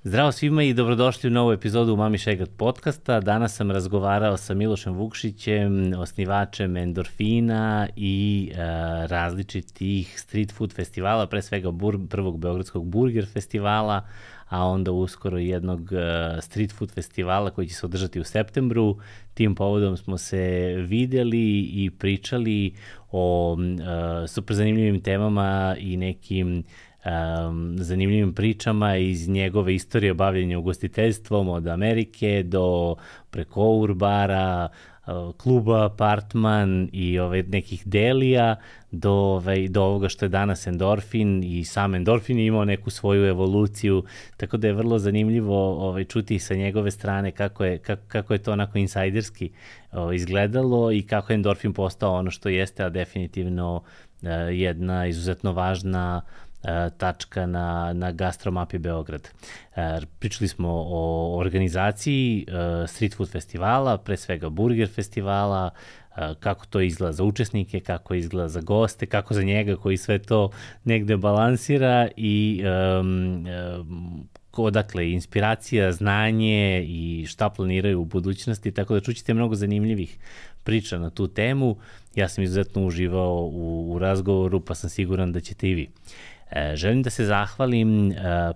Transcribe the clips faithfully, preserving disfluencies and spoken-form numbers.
Zdravo svima i dobrodošli u novu epizodu Mami Šegrt podcasta. Danas sam razgovarao sa Milošem Vukšićem, osnivačem Endorfina i e, različitih street food festivala, pre svega bur, prvog Beogradskog burger festivala, a onda uskoro jednog e, street food festivala koji će se održati u septembru. Tim povodom smo se videli i pričali o e, super zanimljivim temama i nekim Um, zanimljivim pričama iz njegove istorije bavljenja ugostiteljstvom od Amerike do preko Urbara, uh, kluba Apartman i ove, nekih delija do, ove, do ovoga što je danas Endorfin, i sam Endorfin je imao neku svoju evoluciju, tako da je vrlo zanimljivo ove, čuti sa njegove strane kako je, kako, kako je to onako insajderski ove, izgledalo i kako je Endorfin postao ono što jeste, a definitivno uh, jedna izuzetno važna tačka na, na gastromapi Beograd. Pričali smo o organizaciji street food festivala, pre svega burger festivala, kako to izgleda za učesnike, kako izgleda za goste, kako za njega koji sve to negde balansira i um, um, odakle inspiracija, znanje i šta planiraju u budućnosti, tako da čućete mnogo zanimljivih priča na tu temu. Ja sam izuzetno uživao u, u razgovoru, pa sam siguran da ćete i vi. E, želim da se zahvalim e,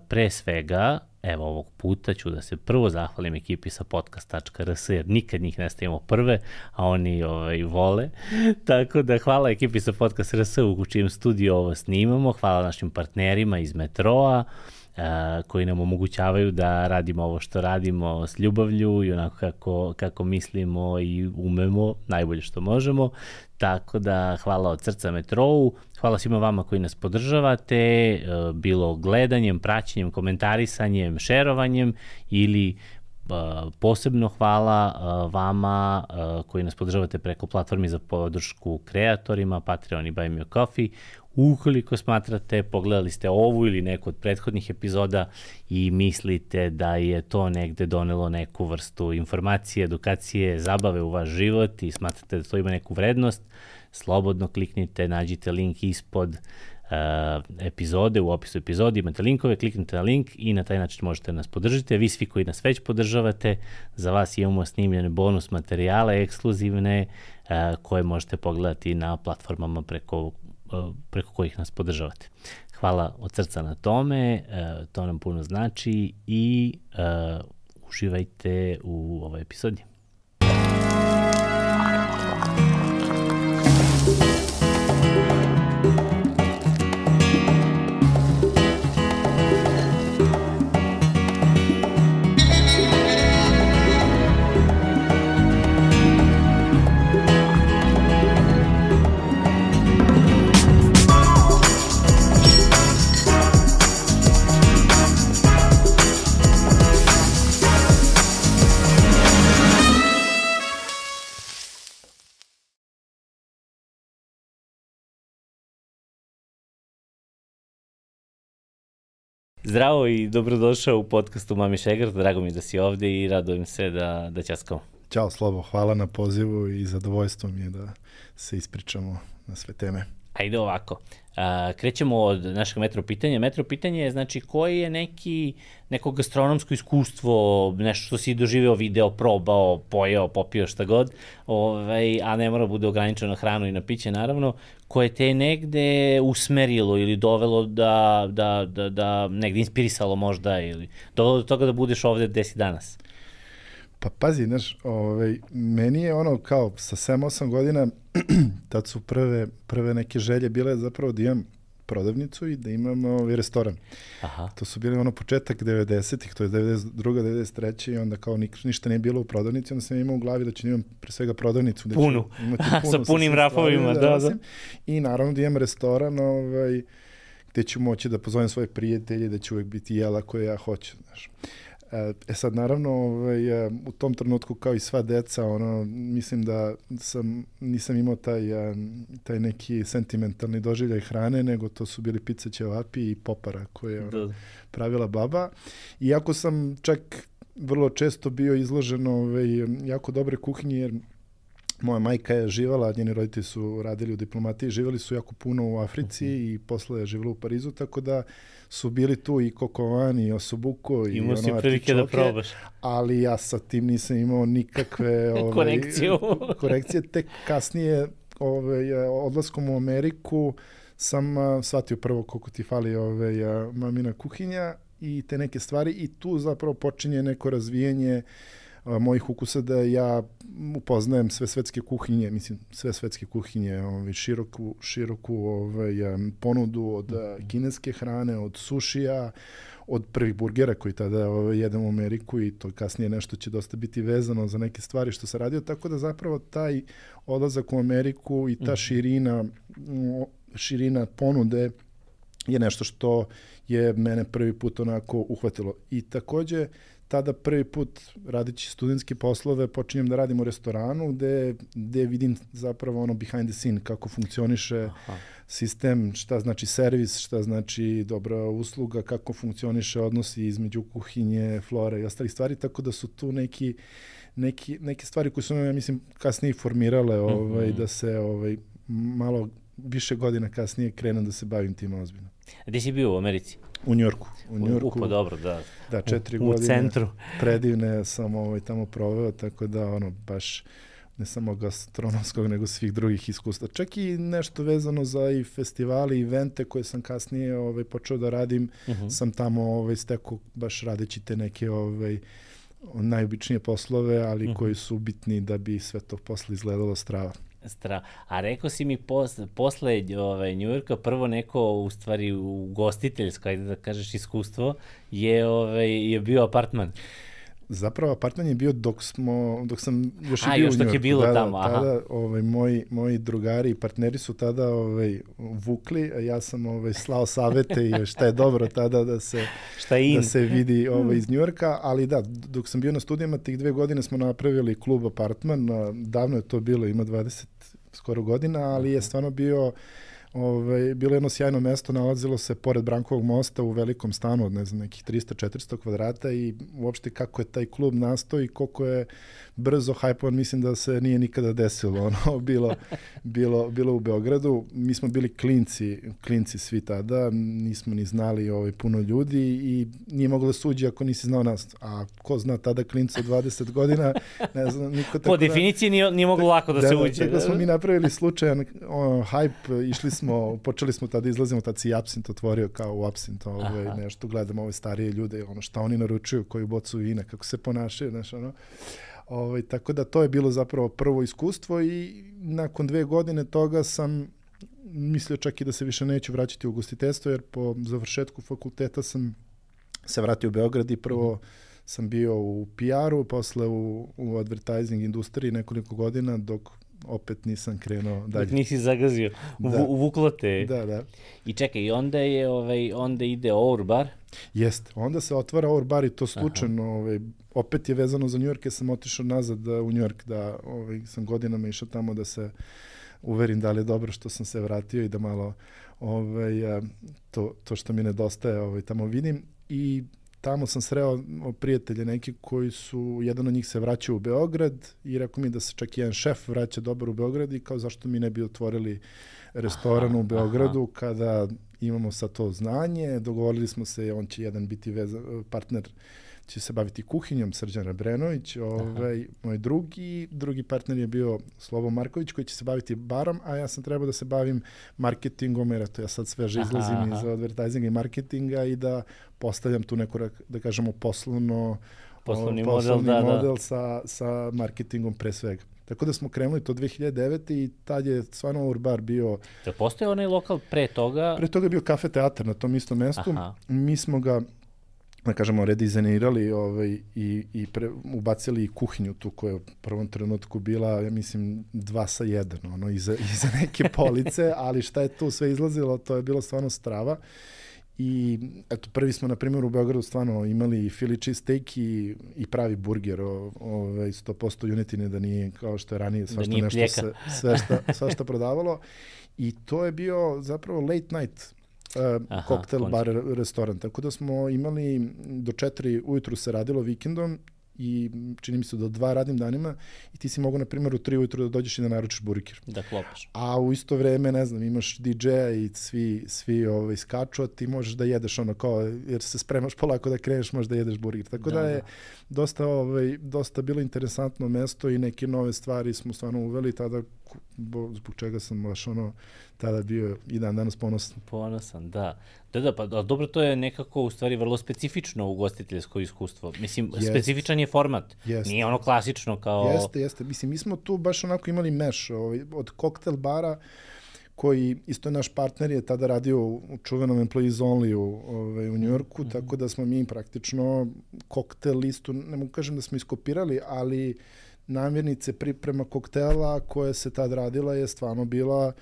pre svega, evo ovog puta ću da se prvo zahvalim ekipi sa podcast tačka r s, jer nikad njih ne stavimo prve, a oni ovaj, vole. Tako da hvala ekipi sa podcast tačka r s u čijem studiju ovo snimamo, hvala našim partnerima iz Metroa, Uh, koji nam omogućavaju da radimo ovo što radimo s ljubavlju i onako kako, kako mislimo i umemo, najbolje što možemo. Tako da hvala od srca Metrou, hvala svima vama koji nas podržavate, uh, bilo gledanjem, praćenjem, komentarisanjem, šerovanjem ili uh, posebno hvala uh, vama uh, koji nas podržavate preko platformi za podršku kreatorima, Patreon i Buy Me a Coffee. Ukoliko smatrate, pogledali ste ovu ili neku od prethodnih epizoda i mislite da je to negde donelo neku vrstu informacije, edukacije, zabave u vaš život i smatrate da to ima neku vrednost, slobodno kliknite, nađite link ispod uh, epizode, u opisu epizode imate linkove, kliknite na link i na taj način možete nas podržati. Vi svi koji nas već podržavate, za vas imamo snimljene bonus materijale, ekskluzivne, uh, koje možete pogledati na platformama preko preko kojih nas podržavate. Hvala od srca na tome, to nam puno znači i uh, uživajte u ovoj epizodi. Zdravo i dobrodošao u podcastu Mami Šegrt, drago mi da si ovde i radujem se da, da ćaskamo. Ćao Slobo, hvala na pozivu i zadovoljstvo mi je da se ispričamo na sve teme. Ajde ovako, a, krećemo od našeg metro pitanja. Metro pitanje je znači koji je neki, neko gastronomsko iskustvo, nešto što si doživeo, video, probao, pojeo, popio, šta god, ovaj, a ne mora bude ograničeno na hranu i na piće naravno, koje te je negde usmerilo ili dovelo da, da, da, da negde inspirisalo možda ili dovelo do toga da budeš ovde gde si danas? Pa pazi, znaš, ovaj, meni je ono kao sa sedam osam godina, tad su prve, prve neke želje bile zapravo da imam prodavnicu i da imam ovaj restoran. Aha. To su bili ono početak devedesetih, to je devedeset druga devedeset treća i onda kao ništa nije bilo u prodavnici, onda sam imao u glavi da ću imam pre svega prodavnicu. Da punu. Sa punim rafovima, da, da, da. I naravno da imam restoran, ovaj, gde ću moći da pozovem svoje prijatelje, da će uvek biti jela koje ja hoću, znaš. E sad, naravno, ovaj, u tom trenutku kao i sva deca, ono, mislim da sam, nisam imao taj, taj neki sentimentalni doživljaj hrane, nego to su bili pizza, ćevapi i popara koje je ono, pravila baba. Iako sam čak vrlo često bio izložen ovaj, jako dobre kuhinje, jer moja majka je živala, njeni roditelji su radili u diplomatiji, živjeli su jako puno u Africi uh-huh. i posle je živjela u Parizu, tako da su bili tu i Kokovan i Osobuko i imao si prilike da probaš. Ali ja sa tim nisam imao nikakve ovaj, korekciju. korekcije. Tek kasnije ovaj, odlaskom u Ameriku sam uh, shvatio prvo koliko ti fali ovaj, uh, mamina kuhinja i te neke stvari i tu zapravo počinje neko razvijanje uh, mojih ukusa da ja upoznajem sve svetske kuhinje, mislim sve svetske kuhinje, ovaj, široku, široku ovaj, um, ponudu od uh, kineske hrane, od sušija, od prvih burgera koji tada ovaj, jedem u Ameriku i to kasnije nešto će dosta biti vezano za neke stvari što se radio, tako da zapravo taj odlazak u Ameriku i ta širina širina ponude je nešto što je mene prvi put onako uhvatilo. I takođe, tada prvi put radići studentske poslove počinjem da radim u restoranu gde, gde vidim zapravo ono behind the scene, kako funkcioniše Aha. sistem, šta znači servis, šta znači dobra usluga, kako funkcioniše odnosi između kuhinje, flore i ostalih stvari, tako da su tu neki, neki, neke stvari koje su me, ja mislim, kasnije formirale ovaj, mm-hmm. da se ovaj, malo više godina kasnije krenem da se bavim tim ozbiljno. A gde si bio u Americi? U Njorku. U Njorku. Upo, dobro, da. Da, četiri u, godine. U centru. Predivne sam ovaj, tamo proveo, tako da, ono, baš ne samo gastronomskog, nego svih drugih iskustva. Čak i nešto vezano za i festivali, evente koje sam kasnije ovaj, počeo da radim, uh-huh. sam tamo ovaj, stekao baš radeći te neke ovaj, najobičnije poslove, ali uh-huh. koji su bitni da bi sve to posle izgledalo strava. Stra. A rekao si mi pos, posle ovaj, Njujorka, prvo neko, u stvari, ugostiteljsko, ajde da kažeš, iskustvo, je, ovaj, je bio apartman. Zapravo, apartman je bio dok smo, dok sam još A, i bio još u Njujorku. A, još dok je bilo da, tamo, aha. Tada, ovaj, moji, moji drugari i partneri su tada ovaj, vukli, a ja sam ovaj, slao savete i šta je dobro tada da se, šta je da se vidi ovaj, iz Njujorka, ali da, dok sam bio na studijama, tih dve godine smo napravili klub apartman, davno je to bilo, ima dvadeset skoro godina, ali je stvarno bio Ove, bilo jedno sjajno mesto, nalazilo se pored Brankovog mosta u velikom stanu od ne znam, nekih trista do četiristo kvadrata i uopšte kako je taj klub nastao i koliko je brzo hajpovan, mislim da se nije nikada desilo ono, bilo, bilo, bilo u Beogradu. Mi smo bili klinci, klinci svi tada, nismo ni znali ovaj, puno ljudi i nije moglo da suđi ako nisi znao nas. A ko zna tada klinca od dvadeset godina, ne znam, niko tako. Po definiciji nije, nije moglo lako da, da se uđe. Tako smo mi napravili slučajan ono, hype, išli smo, počeli smo tada, izlazimo, tad si Absint otvorio kao u Absint, ovaj, nešto, gledamo ove starije ljude, ono, šta oni naručuju, koju bocu vina, kako se ponašaju, znaš, ono. Ovaj, tako da to je bilo zapravo prvo iskustvo i nakon dve godine toga sam mislio čak i da se više neću vraćati u ugostiteljstvo, jer po završetku fakulteta sam se vratio u Beograd i prvo sam bio u P R-u, posle u, u advertising industriji nekoliko godina, dok opet nisam krenuo dalje. Dok nisi zagazio, da. uvuklo te. Da, da. I čekaj, onda je, ovaj, onda ide Our Bar? Jeste, onda se otvara Our Bar i to slučajno, ovaj, opet je vezano za New York, jer sam otišao nazad da, u New York, da ovaj, sam godinama išao tamo da se uverim da li je dobro što sam se vratio i da malo ovaj, to, to što mi nedostaje ovaj, tamo vidim. I tamo sam sreo prijatelje neki koji su, jedan od njih se vraćao u Beograd i rekao mi da se čak jedan šef vraća dobar u Beograd i kao zašto mi ne bi otvorili restoran aha, u Beogradu aha. kada imamo sad to znanje. Dogovorili smo se, on će jedan biti veza, partner, će se baviti kuhinjom, Srđan Rebrenović, ovaj, moj drugi, drugi partner je bio Slobo Marković koji će se baviti barom, a ja sam trebao da se bavim marketingom, jer to ja sad sveže izlazim aha, aha. iz advertisinga i marketinga i da postavljam tu neku, da kažemo, poslovno, poslovni, poslovni model, da, model da. Sa, sa marketingom pre svega. Tako da smo krenuli to dve hiljade devete. i tad je stvarno Our Bar bio... Da postoje onaj lokal pre toga? Pre toga je bio kafe teatar na tom istom mestu. Aha. Mi smo ga, da kažemo, redizajnirali ovaj, i, i pre, ubacili i kuhinju tu koja je u prvom trenutku bila, ja mislim, dva sa jedan, ono, iza, iza neke police, ali šta je tu sve izlazilo, to je bilo stvarno strava. I eto, prvi smo, na primjer, u Beogradu stvarno imali Philly cheesesteak i, i pravi burger, ovaj, sto posto junetine, da nije kao što je ranije svašta nešto se, sve, šta, sve šta prodavalo. I to je bio zapravo late night uh, Aha, cocktail bar restoran. Tako da smo imali do četiri ujutru se radilo vikendom i čini mi se do dva radnim danima i ti si mogu, na primjer, u tri ujutru da dođeš i da naručiš burger. Da klopaš. A u isto vreme, ne znam, imaš di džeja i svi, svi ovaj, skaču, a ti možeš da jedeš ono kao, jer se spremaš polako da kreneš, možeš da jedeš burger. Tako da, da je da. dosta, ovaj, dosta bilo interesantno mesto i neke nove stvari smo stvarno uveli tada, zbog čega sam baš ono tada bio i dan danas ponosan. Ponosan, da. Da, da, pa dobro, to je nekako u stvari vrlo specifično ugostiteljsko iskustvo. Mislim, jest. Specifičan je format. Jest. Nije ono klasično kao... Jeste, jeste. Mislim, mi smo tu baš onako imali meš ovaj, od koktel bara, koji isto je naš partner je tada radio u čuvenom Employees Only u, ovaj, u Njujorku, mm-hmm. tako da smo mi praktično koktel listu, ne mogu kažem da smo iskopirali, ali namirnice priprema koktela koja se tad radila je stvarno bila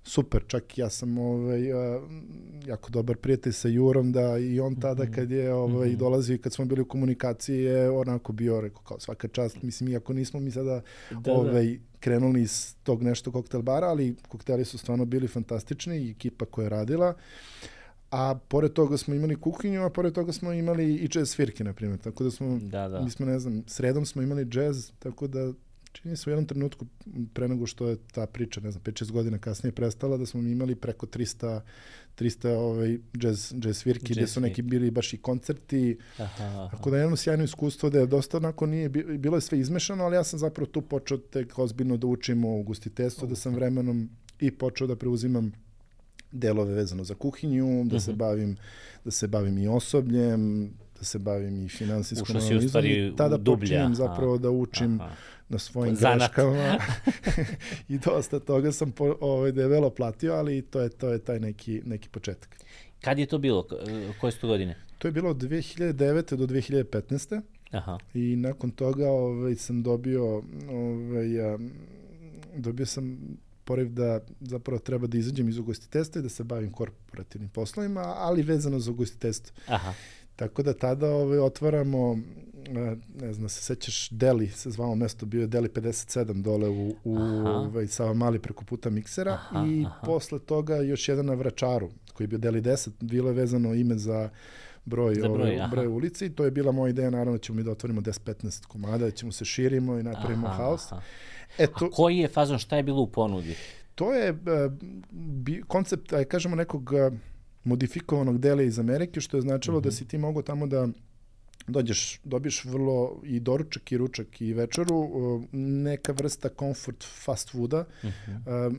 super. Čak ja sam ovaj, jako dobar prijatelj sa Jurom, da i on tada kad je ovaj, mm-hmm. dolazio i kad smo bili u komunikaciji je onako bio, rekao, kao svaka čast. Mislim, iako nismo mi sada da, ovaj, da. krenuli iz tog nešto koktel bara, ali kokteli su stvarno bili fantastični i ekipa koja je radila. A pored toga smo imali kuhinju, a pored toga smo imali i jazz svirke, na primjer. Tako da smo, da, da. mi smo, ne znam, sredom smo imali jazz, tako da čini se u jednom trenutku pre nego što je ta priča, ne znam, pet šest godina kasnije prestala, da smo imali preko trista, trista ovaj, jazz, jazz svirki, gdje su neki bili baš i koncerti. Aha, aha. Tako da je jedno sjajno iskustvo da je dosta onako nije, bilo je sve izmešano, ali ja sam zapravo tu počeo tek ozbiljno da učim o ugostiteljstvu, da sam vremenom i počeo da preuzimam delove vezano za kuhinju, da uh-huh. se bavim da se bavim i osobljem, da se bavim i finansijskom analizom i tada dublja. Počinjem zapravo da učim aha. na svojim greškama i dosta toga sam po, ovaj, debelo platio, ali to je, to je taj neki, neki početak. Kad je to bilo? Koje su to godine? To je bilo od dve hiljade devete do dve hiljade petnaeste. Aha. I nakon toga ovaj, sam dobio ovaj, dobio sam poriv da zapravo treba da izađem iz ugostiteljstva i da se bavim korporativnim poslovima, ali vezano za ugostiteljstvo. Aha. Tako da tada ovaj, otvaramo, ne znam, se sećaš, Deli, se zvalo mesto, bio je Deli pedeset sedam dole u, u ovaj, Savamali preko puta miksera aha, i aha. posle toga još jedan na Vračaru, koji je bio Deli deset, bilo je vezano ime za broj, za broj, ovaj, broj ulici i to je bila moja ideja, naravno da ćemo mi da otvorimo deset petnaest komada, da ćemo se širimo i napravimo aha, haos. Aha. Eto, a koji je fazon, šta je bilo u ponudi? To je uh, bi, koncept, aj kažemo, nekog uh, modifikovanog dela iz Amerike, što je značilo uh-huh. da si ti mogao tamo da dođeš, dobiješ vrlo i doručak i ručak i večeru, uh, neka vrsta comfort fast fooda. Uh-huh. Uh,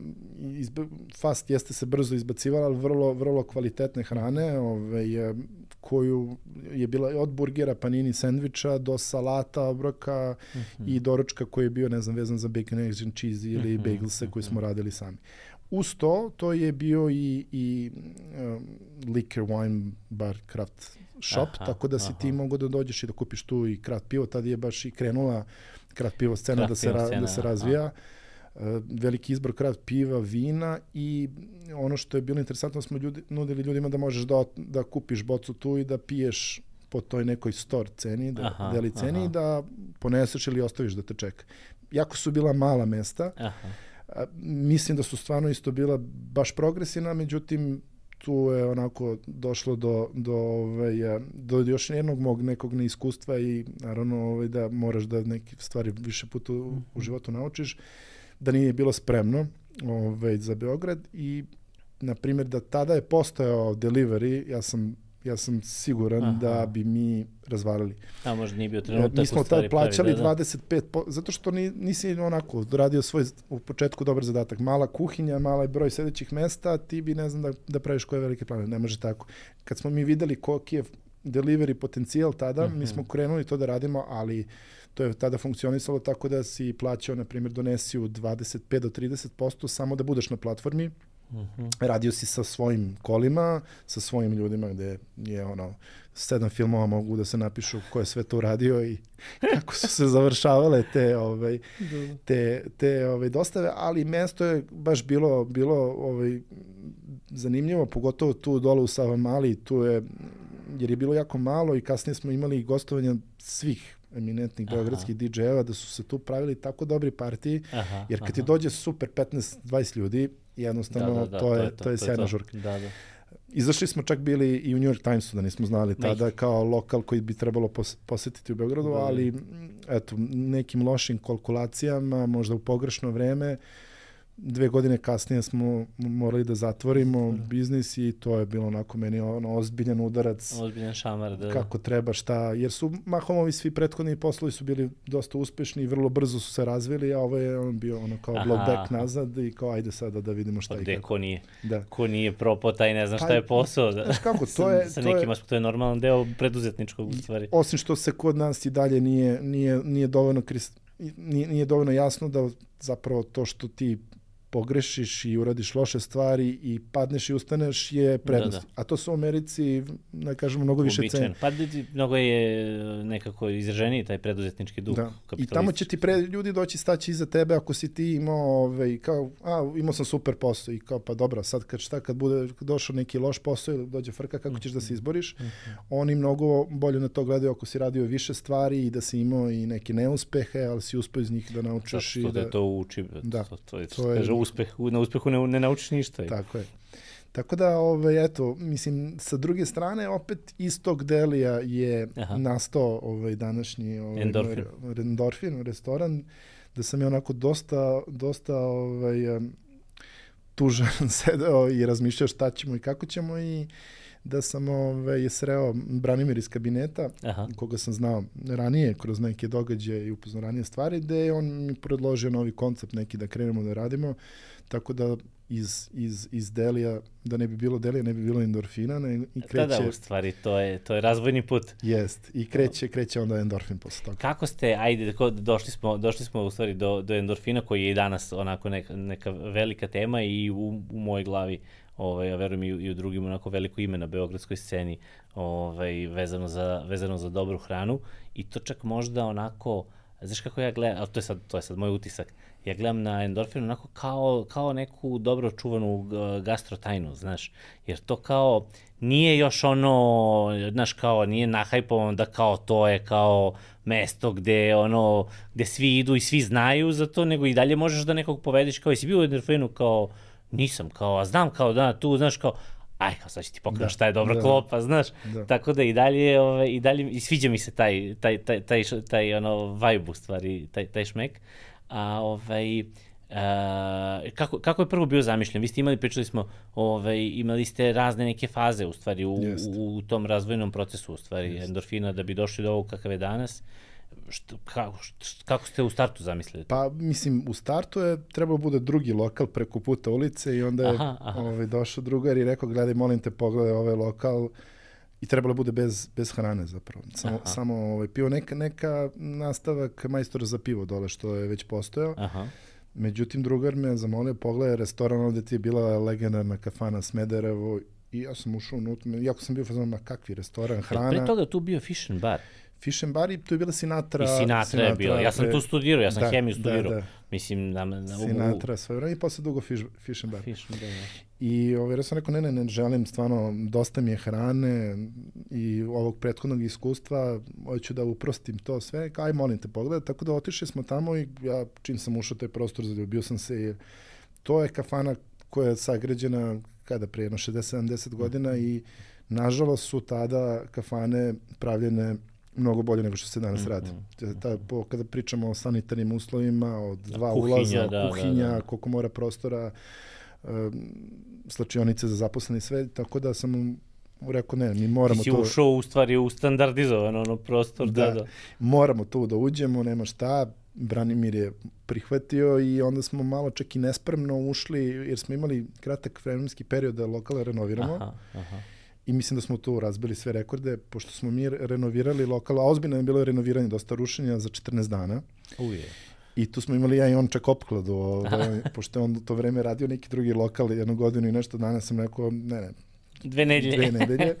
izba, fast jeste se brzo izbacivala, ali vrlo, vrlo kvalitetne hrane, ovaj, uh, koju je bila od burgera, panini, sendviča do salata, obroka uh-huh. i doručka koji je bio, ne znam, vezan za bacon, eggs and cheese ili uh-huh. bagelse koji smo radili sami. Uz to, to je bio i, i um, liquor, wine, bar, craft shop, aha, tako da si aha. ti mogao da dođeš i da kupiš tu i craft pivo. Tada je baš i krenula craft pivo scena, da se, ra, scena, da se razvija. Uh, veliki izbor craft piva, vina i ono što je bilo interesantno, smo ljudi, nudili ljudima da možeš da, da kupiš bocu tu i da piješ po toj nekoj store ceni, da, aha, deli ceni aha. i da poneseš ili ostaviš da te čeka. Jako su bila mala mesta. Aha. A, mislim da su stvarno isto bila baš progresivna, međutim tu je onako došlo do, do, ovaj, do još jednog mog nekog neiskustva i naravno ovaj, da moraš da neke stvari više puta u, u životu naučiš, da nije bilo spremno ovaj, za Beograd i na primjer da tada je postojao delivery, ja sam ja sam siguran aha. da bi mi razvalili. A možda nije bio trenutak. Mi smo tad plaćali pravi, da, da. dvadeset pet posto, zato što ni, nisi onako radio svoj u početku dobar zadatak. Mala kuhinja, mala broj sedećih mesta, ti bi ne znam da, da praviš koje velike plane. Ne može tako. Kad smo mi videli koliki je delivery potencijal tada, uh-huh. mi smo krenuli to da radimo, ali to je tada funkcionisalo tako da si plaćao, na primjer, donesi u dvadeset pet do trideset posto samo da budeš na platformi. Uh-huh. Radio si sa svojim kolima, sa svojim ljudima gde je ono sedam filmova mogu da se napišu ko je sve to uradio i kako su se završavale te ovaj te te ovaj dostave, ali mesto je baš bilo bilo ovaj zanimljivo, pogotovo tu dole u Savamali, tu je jer je bilo jako malo i kasnije smo imali gostovanja svih eminentnih beogradskih di džejeva, da su se tu pravili tako dobri partiji, aha, jer kad aha. ti dođe super petnaest dvadeset ljudi, jednostavno da, da, da, to, je, to, je, to, to je sjajna žurka. Da, da. Izašli smo čak bili i u New York Timesu, da nismo znali tada, kao lokal koji bi trebalo pos, posetiti u Beogradu, mm. ali eto, nekim lošim kalkulacijama, možda u pogrešno vreme, dve godine kasnije smo morali da zatvorimo mm. biznis i to je bilo onako meni ono ozbiljan udarac. Ozbiljan šamar, da. Kako treba, šta, jer su mahom ovi svi prethodni poslovi su bili dosta uspešni i vrlo brzo su se razvili, a ovo je on bio ono kao Aha. blowback nazad i kao ajde sada da vidimo šta Gde, i kako. Ko nije, da. ko nije propao, taj ne zna šta je posao. Da. Znaš kako, to je... sa to nekim je, to je normalan deo preduzetničkog u stvari. Osim što se kod nas i dalje nije, nije, nije, dovoljno, nije, nije dovoljno jasno da zapravo to što ti pogrešiš i uradiš loše stvari i padneš i ustaneš je prednost. Da, da. A to su u Americi, ne kažemo, mnogo više cene. Pa mnogo je nekako izraženiji taj preduzetnički duh. Da. I tamo će ti pre, ljudi doći staći iza tebe ako si ti imao, ovaj, kao, a, imao sam super posao i kao, pa dobro, sad kad šta, kad bude došao neki loš posao ili dođe frka, kako ćeš da se izboriš, mm-hmm. oni mnogo bolje na to gledaju ako si radio više stvari i da si imao i neke neuspehe, ali si uspeo iz njih da naučiš. Da, i da, da to uči. Da, to, to je, to je uspeh, na uspehu ne, ne naučiš ništa. Tako je. Tako da, ovaj, eto, mislim, sa druge strane, opet iz tog Delija je Aha. nastao ovaj, današnji ovaj, Endorfin. Endorfin, restoran, da sam je onako dosta, dosta ovaj, tužan sedeo i razmišljao šta ćemo i kako ćemo i da sam ovaj, sreo Branimir iz kabineta, Aha. koga sam znao ranije kroz neke događaje i upoznao ranije stvari, gde je on mi predložio novi koncept neki da krenemo da radimo, tako da iz, iz, iz Delija, da ne bi bilo Delija, ne bi bilo Endorfina. Ne, i kreće, da, da, u stvari, to je, to je razvojni put. Jest, i kreće, kreće onda Endorfin posle toga. Kako ste, ajde, došli smo, došli smo u stvari do, do Endorfina, koji je i danas onako neka, neka velika tema i u, u mojoj glavi, ovaj, ja verujem i u, i u drugim onako veliko ime na beogradskoj sceni, ovaj, vezano, za, vezano za dobru hranu i to čak možda onako, znaš kako ja gledam, ali to je sad, to je sad moj utisak, ja gledam na Endorfin onako kao, kao neku dobro čuvanu gastrotajnu, znaš, jer to kao nije još ono, znaš, kao nije nahajpovano da kao to je kao mesto gde ono, gde svi idu i svi znaju za to, nego i dalje možeš da nekog povedeš kao, jesi bio u Endorfinu kao, nisam, kao, a znam kao da, tu, znaš, kao, aj, kao sad ću ti pokažem šta je dobra da, klopa, znaš, da. Tako da i dalje, ove, i dalje, i sviđa mi se taj, taj, taj, taj, taj ono, vibe u stvari, taj, taj šmek, a ovaj, a, kako, kako je prvo bio zamišljen? Vi ste imali, pričali smo, ovaj, imali ste razne neke faze u stvari, u, u, u tom razvojnom procesu, u stvari, Jest. Endorfina, da bi došli do ovog kakav je danas. Što, kako, što, kako ste u startu zamislili? Pa, mislim, u startu je trebao bude drugi lokal preko puta ulice i onda je aha, aha. Ovaj, došao drugar i rekao, gledaj, molim te, pogledaj ovaj lokal i trebalo bude bez, bez hrane zapravo. Samo, samo ovaj, pivo, neka, neka nastavak majstora za pivo dole, što je već postojao. Aha. Međutim, drugar me zamolio, pogledaj restoran ovde ti je bila legendarna kafana Smederevo i ja sam ušao unutra, iako sam bio fazon, ma kakvi restoran, hrana. Pre toga tu bio Fish and Bar. Fish and Bar i tu je bila Sinatra. I Sinatra, Sinatra je bila. Ja sam tu studirao, ja sam da, hemiju studirao. Da, da. Mislim, na, na, Sinatra, sve vreme i posle dugo Fish, fish and Bar. Fish and Bar, da. I ovaj, ja sam rekao, ne, ne, ne želim, stvarno, dosta mi je hrane i ovog prethodnog iskustva, hoću da uprostim to sve, aj, molim te, pogledaj. Tako da otišli smo tamo i ja, čim sam ušao taj prostor, zaljubio sam se, jer to je kafana koja je sagrađena, kada prije, jedno šezdeset sedamdeset godina i nažalost su tada kafane pravljene mnogo bolje nego što se danas radi. Mm-hmm. Ta, po, kada pričamo o sanitarnim uslovima, od dva kuhinja, ulaza, da, kuhinja, da, da. koliko mora prostora, um, slačionice za zaposleni sve, tako da sam rekao, ne, mi moramo to... Ti si ušao u stvari u standardizovan ono prostor. Da, da, da. Moramo tu da uđemo, nema šta, Branimir je prihvatio i onda smo malo čak i nespremno ušli, jer smo imali kratak vremenski period da lokale renoviramo. Aha, aha. I mislim da smo tu razbili sve rekorde, pošto smo mi renovirali lokal, a ozbiljno je bilo renoviranje, dosta rušenja za četrnaest dana. Uje. I tu smo imali ja i on čak opkladu, ovaj, pošto je on to vreme radio neki drugi lokal, jednu godinu i nešto dana sam rekao, ne, ne. Dve nedelje. Dve nedelje.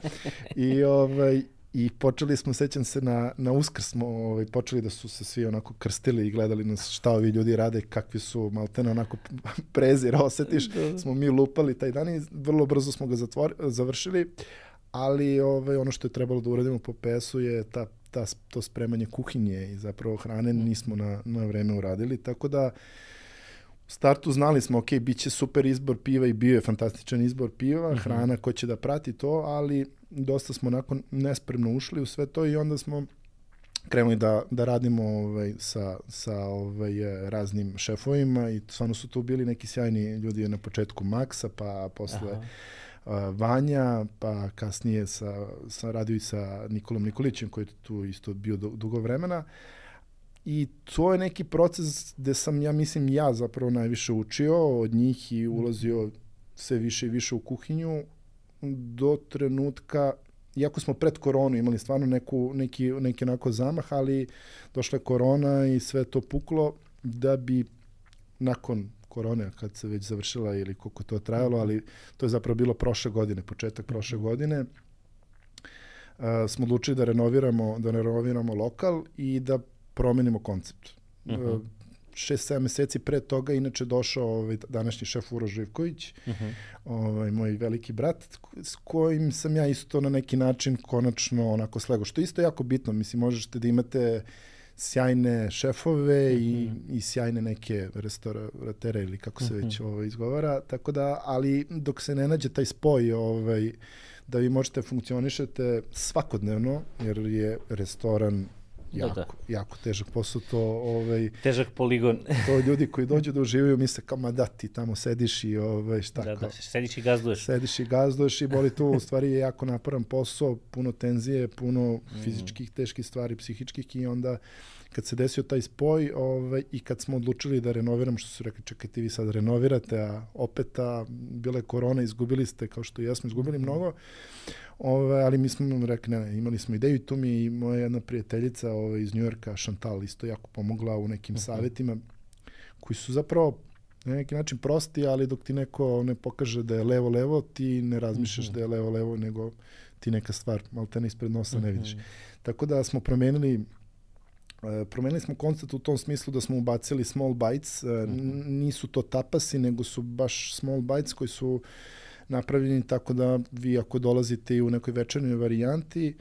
I, ovaj, I počeli smo, sećam se, na, na Uskrs smo ovaj, počeli da su se svi onako krstili i gledali nas šta ovi ljudi rade, kakvi su, maltene onako prezir, osetiš, smo mi lupali taj dan i vrlo brzo smo ga zatvor, završili, ali ovaj, ono što je trebalo da uradimo po P S-u je ta, ta, to spremanje kuhinje i zapravo hrane nismo na, na vreme uradili, tako da startu znali smo, ok, bit će super izbor piva i bio je fantastičan izbor piva, mm-hmm. hrana ko će da prati to, ali dosta smo nakon nespremno ušli u sve to i onda smo krenuli da, da radimo ovaj, sa, sa ovaj, raznim šefovima i stvarno su tu bili neki sjajni ljudi na početku Maksa, pa posle uh, Vanja, pa kasnije sa, sa radio i sa Nikolom Nikolićem koji je tu isto bio dugo vremena. I to je neki proces gde sam, ja mislim, ja zapravo najviše učio od njih i ulazio sve više i više u kuhinju do trenutka, iako smo pred koronu imali stvarno neku, neki, neki onako zamah, ali došla je korona i sve to puklo da bi nakon korone, kad se već završila ili koliko to trajalo, ali to je zapravo bilo prošle godine, početak prošle godine, uh, smo odlučili da renoviramo, da renoviramo lokal i da promenimo koncept. Uh-huh. Šest, sedam meseci pre toga inače došao ovaj današnji šef Uroš Živković, uh-huh. ovaj, moj veliki brat, s kojim sam ja isto na neki način konačno onako slego. Što je isto jako bitno, mislim, možete da imate sjajne šefove uh-huh. i, i sjajne neke restauratere ili kako se uh-huh. već ovaj, izgovara, tako da, ali dok se ne nađe taj spoj, ovaj, da vi možete funkcionišete svakodnevno, jer je restoran Jako, da, da. jako težak posao, to ovaj težak poligon. To ljudi koji dođu da uživaju misle kao ma da ti tamo sediš i ovaj šta da, kao. Da, sediš i gazduješ. Sediš i gazduješ i boli to, u stvari je jako naporan posao, puno tenzije, puno mm. fizičkih teških stvari, psihičkih i onda kad se desio taj spoj, ovaj i kad smo odlučili da renoviramo, što su rekli čekajte vi sad renovirate, a opet a bila je korona, izgubili ste kao što i ja smo izgubili mm. mnogo. Ove, ali mi smo rekli, ne, ne, imali smo ideju i tu mi je i moja jedna prijateljica ove, iz Njujorka, Chantal, isto jako pomogla u nekim uh-huh. savjetima koji su zapravo na neki način prosti, ali dok ti neko ne pokaže da je levo-levo, ti ne razmišljaš uh-huh. da je levo-levo, nego ti neka stvar, malo te ne ispred nosa uh-huh. ne vidiš. Tako da smo promenili Uh, promenili smo koncept u tom smislu da smo ubacili small bites, uh, uh-huh. nisu to tapasi, nego su baš small bites koji su napravljeni tako da vi ako dolazite i u nekoj večernjoj varijanti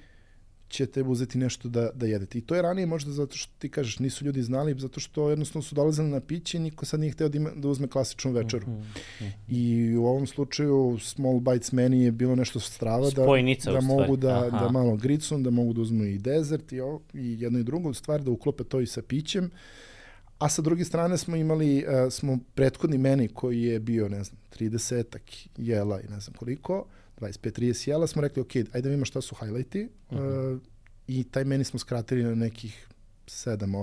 ćete uzeti nešto da, da jedete. I to je ranije možda zato što ti kažeš nisu ljudi znali, zato što jednostavno su dolazili na piće i niko sad nije hteo da, ima, da uzme klasičnu večeru. Mm-hmm. I u ovom slučaju small bites meni je bilo nešto strava da, da mogu da, da malo gricnu, da mogu da uzmu i dezert i, ovo, i jedno i drugo stvar, da uklope to i sa pićem. A sa druge strane smo imali, uh, smo prethodni meni koji je bio, ne znam, tridesetak jela i ne znam koliko, dvadeset pet trideset jela, smo rekli, ok, ajde da vidimo šta su highlighti uh-huh. uh, i taj meni smo skratili na nekih sedam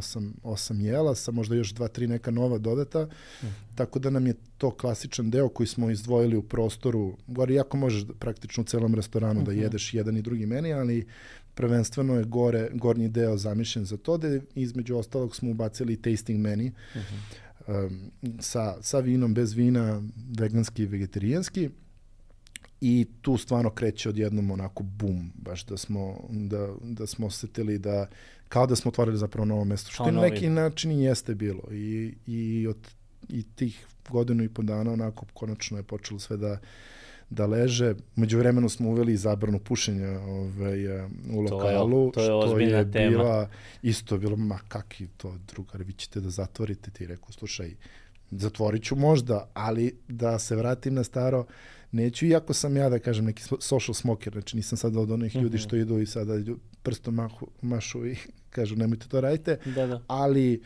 osam jela, sa možda još dva tri neka nova dodata, uh-huh. tako da nam je to klasičan deo koji smo izdvojili u prostoru, gore jako možeš da, praktično u celom restoranu uh-huh. da jedeš jedan i drugi meni, ali prvenstveno je gore, gornji deo zamišljen za to, da između ostalog smo ubacili tasting menu uh-huh. um, sa, sa vinom, bez vina, veganski i vegetarijanski i tu stvarno kreće odjednom onako bum, baš da smo, da, da smo osetili da, kao da smo otvorili zapravo novo mesto, što na neki način i jeste bilo i, i od i tih godinu i po dana onako konačno je počelo sve da da leže. Međuvremeno smo uveli zabranu pušenja ovaj, u lokalu, to je, to je što je tema. Bila, isto je bilo, ma kaki to drugar, vi ćete da zatvorite, ti rekao, slušaj, zatvorit ću možda, ali da se vratim na staro, neću, iako sam ja da kažem neki social smoker, znači nisam sad od onih ljudi mm-hmm. što idu i sada prstom mahu, mašu i kažu nemojte to radite, da, da. Ali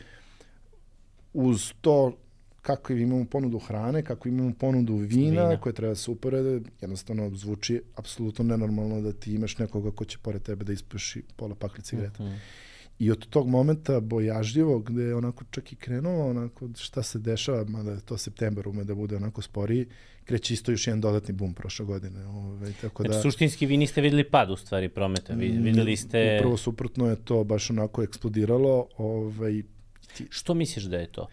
uz to kako imamo ponudu hrane, kako imamo ponudu vina, vina. koje treba se uporede, jednostavno zvuči apsolutno nenormalno da ti imaš nekoga ko će pored tebe da ispuši pola pakli cigareta. Mm-hmm. I od tog momenta bojažljivo, gde je onako čak i krenulo, onako šta se dešava, mada je to septembar ume da bude onako sporiji, kreće isto još jedan dodatni bum prošle godine. Ove, tako znači, da, suštinski vi niste videli pad u stvari prometa, vi, videli ste... Upravo suprotno je to baš onako eksplodiralo. Ovaj, ti... Što misliš da je to?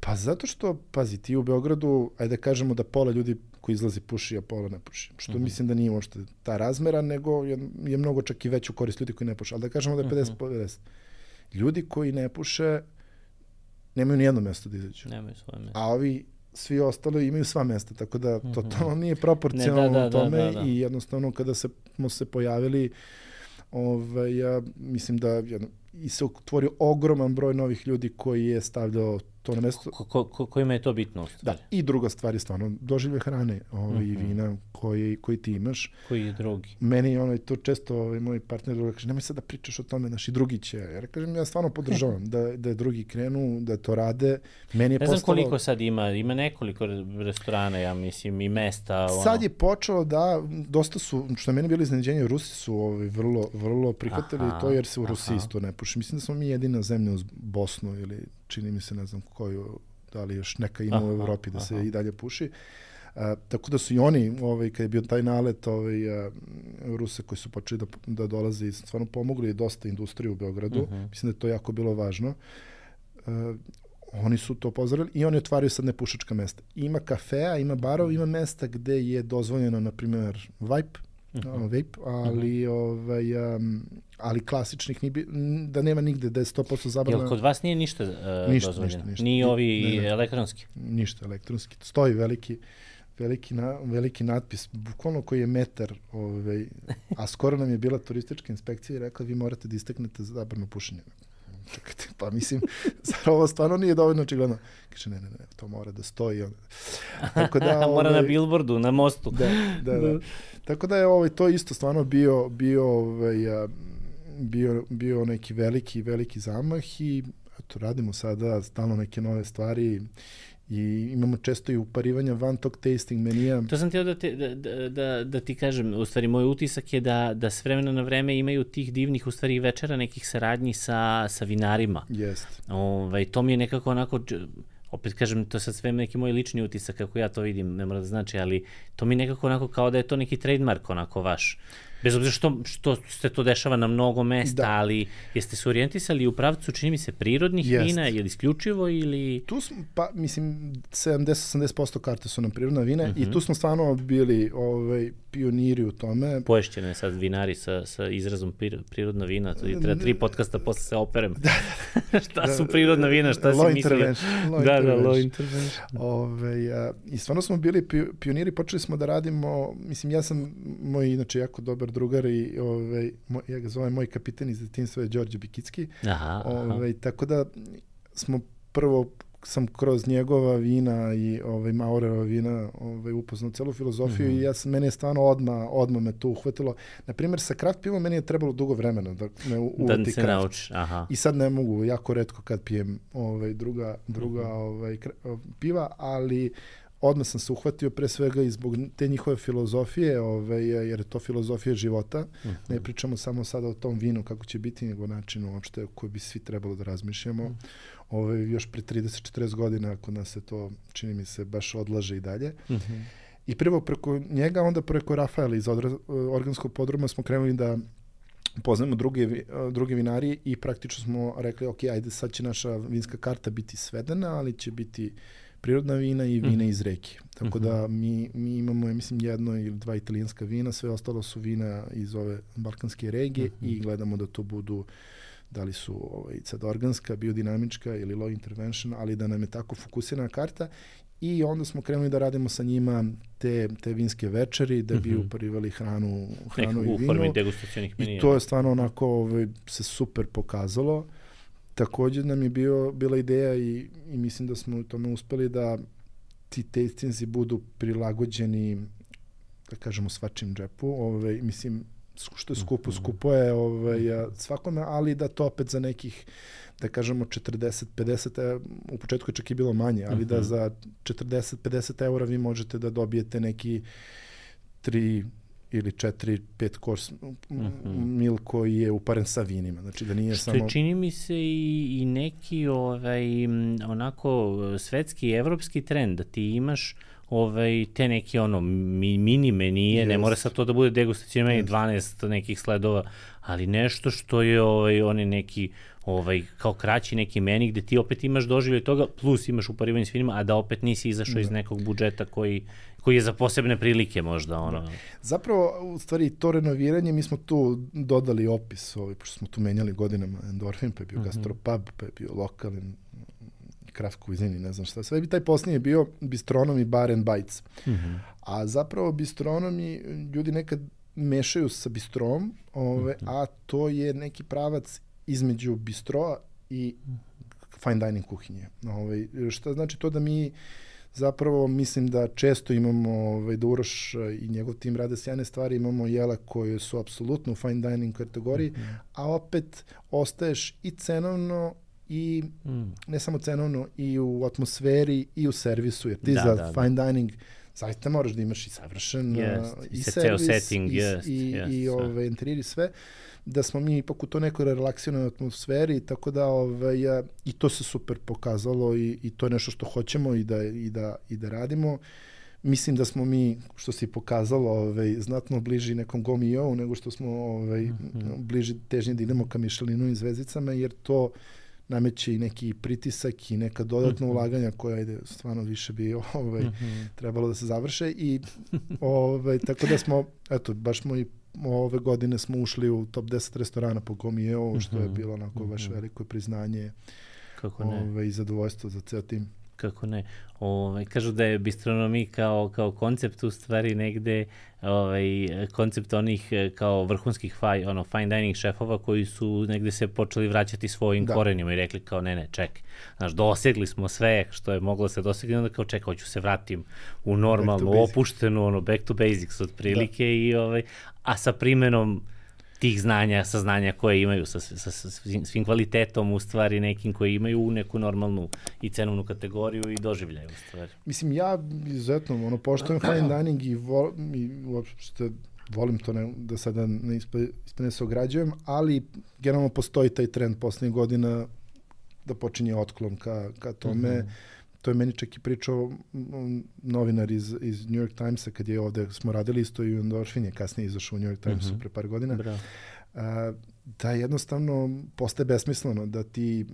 Pa zato što, pazi, ti u Beogradu, ajde da kažemo da pola ljudi koji izlazi puši, a pola ne puši. Što uh-huh. mislim da nije uopšte ta razmera, nego je, je mnogo čak i veću korist ljudi koji ne puše. Ali da kažemo da je pedeset pedeset. Uh-huh. Ljudi koji ne puše nemaju ni jedno mesto da izađu. Nemaju svoje mesto. A ovi svi ostali imaju sva mesta, tako da uh-huh. to, to nije proporcionalno ne, da, da, tome da, da, da. I jednostavno kada se, smo se pojavili, ovaj, ja mislim da jedno, i se otvorio ogroman broj novih ljudi koji je stavljao to na mesto. Ko, ko, ko, kojima je to bitno? Da, i druga stvar je stvarno doživlje hrane ovaj, i vina koji, koji ti imaš. Koji je drugi? Meni ono, to često ovaj, moj partner druga kaže, nemoj sad da pričaš o tome, naši drugi će. Ja kažem, ja stvarno podržavam da, da drugi krenu, da to rade. Meni je ne znam postalo... koliko sad ima, ima nekoliko restorana, ja mislim, i mesta. Ono... Sad je počelo da, dosta su, što je meni bilo iznenađenje, Rusi su ovaj, vrlo, vrlo prihvatili aha, to jer se u Rusiji isto ne puši. Mislim da smo mi jedina zemlja uz Bosnu ili čini mi se, ne znam koju, da li još neka ima aha, u Evropi da aha. se i dalje puši. A, tako da su i oni, ovaj, kad je bio taj nalet ovaj, a, Rusa koji su počeli da, da dolaze i stvarno pomogli dosta industriju u Beogradu. Uh-huh. Mislim da je to jako bilo važno. A, oni su to pozdravili i oni otvaraju sad nepušačka mesta. Ima kafea, ima barov, ima mesta gde je dozvoljeno, na primjer, vape, uh-huh. vape, ali, uh-huh. ovaj, um, ali klasičnih, ni, da nema nigde da je sto posto zabrana. Jel kod vas nije ništa uh, ništa, dozvoljeno? Ništa, ništa. Ni ovi ne, ne. elektronski? Ništa elektronski. Stoji veliki, veliki, na, veliki natpis, bukvalno koji je metar, ovaj, a skoro nam je bila turistička inspekcija i rekla vi morate da isteknete zabranu pušenja. Čekajte, pa mislim, zar ovo stvarno nije dovoljno očigledno? Kaže, ne, ne, ne, to mora da stoji. Tako da, mora ovaj, na billboardu, na mostu. Da, da, da. Tako da je ovaj, to isto stvarno bio, bio, ovaj, bio, bio neki veliki, veliki zamah i eto, radimo sada stalno neke nove stvari i imamo često i uparivanja van tog tasting menija. To sam htio da, te, da, da, da ti kažem, u stvari moj utisak je da, da s vremena na vreme imaju tih divnih u stvari večera nekih saradnji sa, sa vinarima. Jest. Ovaj, to mi je nekako onako, opet kažem, to sad sve neki moj lični utisak kako ja to vidim, ne mora da znači, ali to mi nekako onako kao da je to neki trademark onako vaš. Bez obzira što, što se to dešava na mnogo mesta, da. Ali jeste se orijentisali u pravcu, čini mi se, prirodnih Jest. vina, je li isključivo ili... Tu smo, pa mislim, sedamdeset do osamdeset posto karte su nam prirodna vina uh-huh. i tu smo stvarno bili ovaj, pioniri u tome. Poješćeno je sad vinari sa, sa izrazom prirodna vina, to je treba tri podcasta posle se operem. Da, da. Šta da, su prirodna vina, šta si mislio? Low da, da, low intervention. Ove, a, I stvarno smo bili pioniri, počeli smo da radimo, mislim, ja sam moj, inače, jako dobar drugar i ovaj, moj, ja ga zovem moj kapiten iz detinjstva je Đorđe Bikicki. Aha, ovaj, aha. Tako da smo prvo sam kroz njegova vina i ovaj Maurerova vina ovaj upoznao celu filozofiju mm-hmm. i ja sam, meni je stvarno odma odma me to uhvatilo. Na primjer sa kraft pivom meni je trebalo dugo vremena da me uvati da se nauči, aha. I sad ne mogu, jako retko kad pijem ovaj druga druga mm-hmm. ovaj piva, ali odmah sam se uhvatio pre svega i zbog te njihove filozofije, ovaj, jer je to filozofija života. Uh-huh. Ne pričamo samo sada o tom vinu kako će biti, nego načinu uopšte koji bi svi trebalo da razmišljamo. Uh-huh. Ovaj, još pre trideset do četrdeset godina kod nas se to, čini mi se, baš odlaže i dalje. Uh-huh. I prvo preko njega, onda preko Rafaela iz organskog podruma smo krenuli da poznajemo druge, druge vinari i praktično smo rekli, ok, ajde sad će naša vinska karta biti svedena, ali će biti prirodna vina i vina mm. iz reke. Tako mm-hmm. da mi, mi imamo, ja mislim, jedno ili dva italijanska vina, sve ostalo su vina iz ove balkanske regije mm-hmm. i gledamo da to budu, da li su ovaj, sad organska, biodinamička ili low intervention, ali da nam je tako fokusirana karta. I onda smo krenuli da radimo sa njima te, te vinske večeri, da bi mm-hmm. uparivali hranu, hranu Nek, i vino. U formi degustacionih menija. I to je stvarno onako ovaj, se super pokazalo. Također nam je bio, bila ideja i, i mislim da smo u tome uspeli da ti tastingsi budu prilagođeni, da kažemo, svačim džepu. Ovaj, mislim, što je skupo, skupo je ovaj, svakome, ali da to opet za nekih, da kažemo, četrdeset do pedeset, u početku je čak i bilo manje, ali uh-huh. da za četrdeset do pedeset eura vi možete da dobijete neki tri ili četiri, pet kors mm-hmm. mil koji je uparen sa vinima. Znači da nije što samo... čini mi se i, i neki ovaj, onako svetski i evropski trend, da ti imaš ovaj, te neki ono mi, mini menije, yes. ne mora sad to da bude degustacijni meni yes. dvanaest nekih sledova, ali nešto što je ovaj, oni neki ovaj, kao kraći neki meni gde ti opet imaš doživljaj toga, plus imaš uparivanje s vinima, a da opet nisi izašao da. iz nekog budžeta koji koji je za posebne prilike možda ono. Da. Zapravo, u stvari, to renoviranje, mi smo tu dodali opis, ovaj, pošto smo tu menjali godinama Endorfin, pa je bio uh-huh. gastropub, pa je bio lokalin, craft cuisine, ne znam šta. Sve bi taj posljednji je bio bistronom i bar and bites. Uh-huh. A zapravo bistronomi ljudi nekad mešaju sa bistrom, ove, uh-huh. a to je neki pravac između bistroa i fine dining kuhinje. Ovaj, šta znači to da mi zapravo mislim da često imamo, ovaj, da Uroš i njegov tim rade sjajne stvari, imamo jela koje su apsolutno u fine dining kategoriji, mm-hmm. a opet ostaješ i cenovno i mm. ne samo cenovno, i u atmosferi i u servisu, jer ti da, za da, fine da. dining zaista moraš da imaš i savršen yes, i, i servis, setting, i, yes, i, yes, i ove, interijeri i sve, da smo mi ipak u to nekoj relaksiranoj atmosferi, tako da ove, ja, i to se super pokazalo i, i to je nešto što hoćemo i da, i da, i da radimo. Mislim da smo mi, što se pokazalo, ovaj, znatno bliži nekom Gomio nego što smo ovaj, mm-hmm. bliži težnje da idemo ka Michelinu i zvezdicama, jer to nameće i neki pritisak i neka dodatna mm-hmm. ulaganja koja ide stvarno više bi ovaj, mm-hmm. trebalo da se završe i ovaj, tako da smo, eto, baš smo i ove godine smo ušli u top deset restorana po Gomio, mm-hmm. što je bilo onako mm-hmm. baš veliko priznanje. Kako ne? Ovaj, i zadovoljstvo za ceo tim. Kako ne. Ovaj, kažu da je bistronomija kao, kao koncept u stvari negde ovaj, koncept onih kao vrhunskih faj, ono, fine dining šefova koji su negde se počeli vraćati svojim da. korenima i rekli kao ne, ne, čekaj. Znaš, dosegli smo sve što je moglo se dosegli, onda kao čekaj, hoću se vratim u normalnu, opuštenu, ono, back to basics otprilike, da. i, ovaj, a sa primenom tih znanja, saznanja koje imaju sa, sa, sa svim kvalitetom u stvari nekim koji imaju neku normalnu i cenovnu kategoriju i doživljaju u stvari. Mislim, ja izuzetno ono, poštujem fine dining i, vol, i uopšte volim to ne, da sada ne ispane se ograđujem, ali generalno postoji taj trend poslednjih godina da počinje otklon ka, ka tome. Mm-hmm. To je meni čak i pričao novinar iz, iz New York Timesa kad je ovde, smo radili isto i Endorfin je kasnije izašao u New York Timesu mm-hmm. pre par godina. A, da jednostavno postaje besmisleno da ti,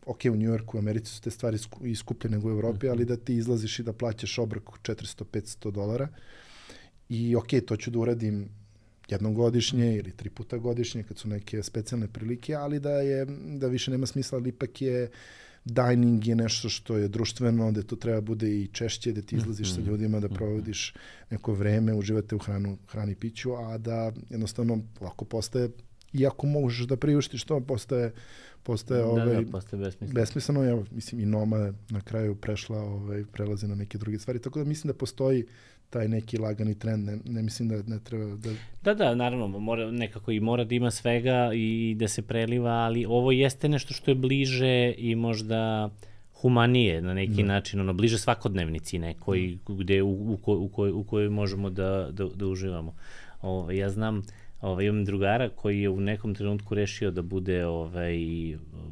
ok, u New Yorku, u Americi su te stvari i skuplje nego u Evropi, mm-hmm. ali da ti izlaziš i da plaćaš obrok četiristo do petsto dolara i ok, to ću da uradim jednom godišnje ili tri puta godišnje kad su neke specijalne prilike, ali da je da više nema smisla, ali ipak je dining je nešto što je društveno, da to treba bude i češće, da ti izlaziš mm-hmm. sa ljudima, da provodiš neko vreme, uživate u hranu, hrani i piću, a da jednostavno lako postaje, iako možeš da priuštiš to, postaje, postaje, da, ovaj, da, postaje besmisleno. besmisleno. Ja, mislim, i Noma na kraju prešla, ovaj, prelazi na neke druge stvari, tako da mislim da postoji taj neki lagani trend, ne, ne mislim da ne treba da... Da, da, naravno, mora, nekako i mora da ima svega i da se preliva, ali ovo jeste nešto što je bliže i možda humanije na neki da. način, ono, bliže svakodnevnici nekoj, gde, u, u, ko, u, koj, u kojoj možemo da, da, da uživamo. O, ja znam, ovaj, imam drugara koji je u nekom trenutku rešio da bude ovaj,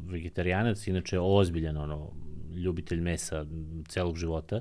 vegetarijanac, inače ozbiljan, ono, ljubitelj mesa celog života,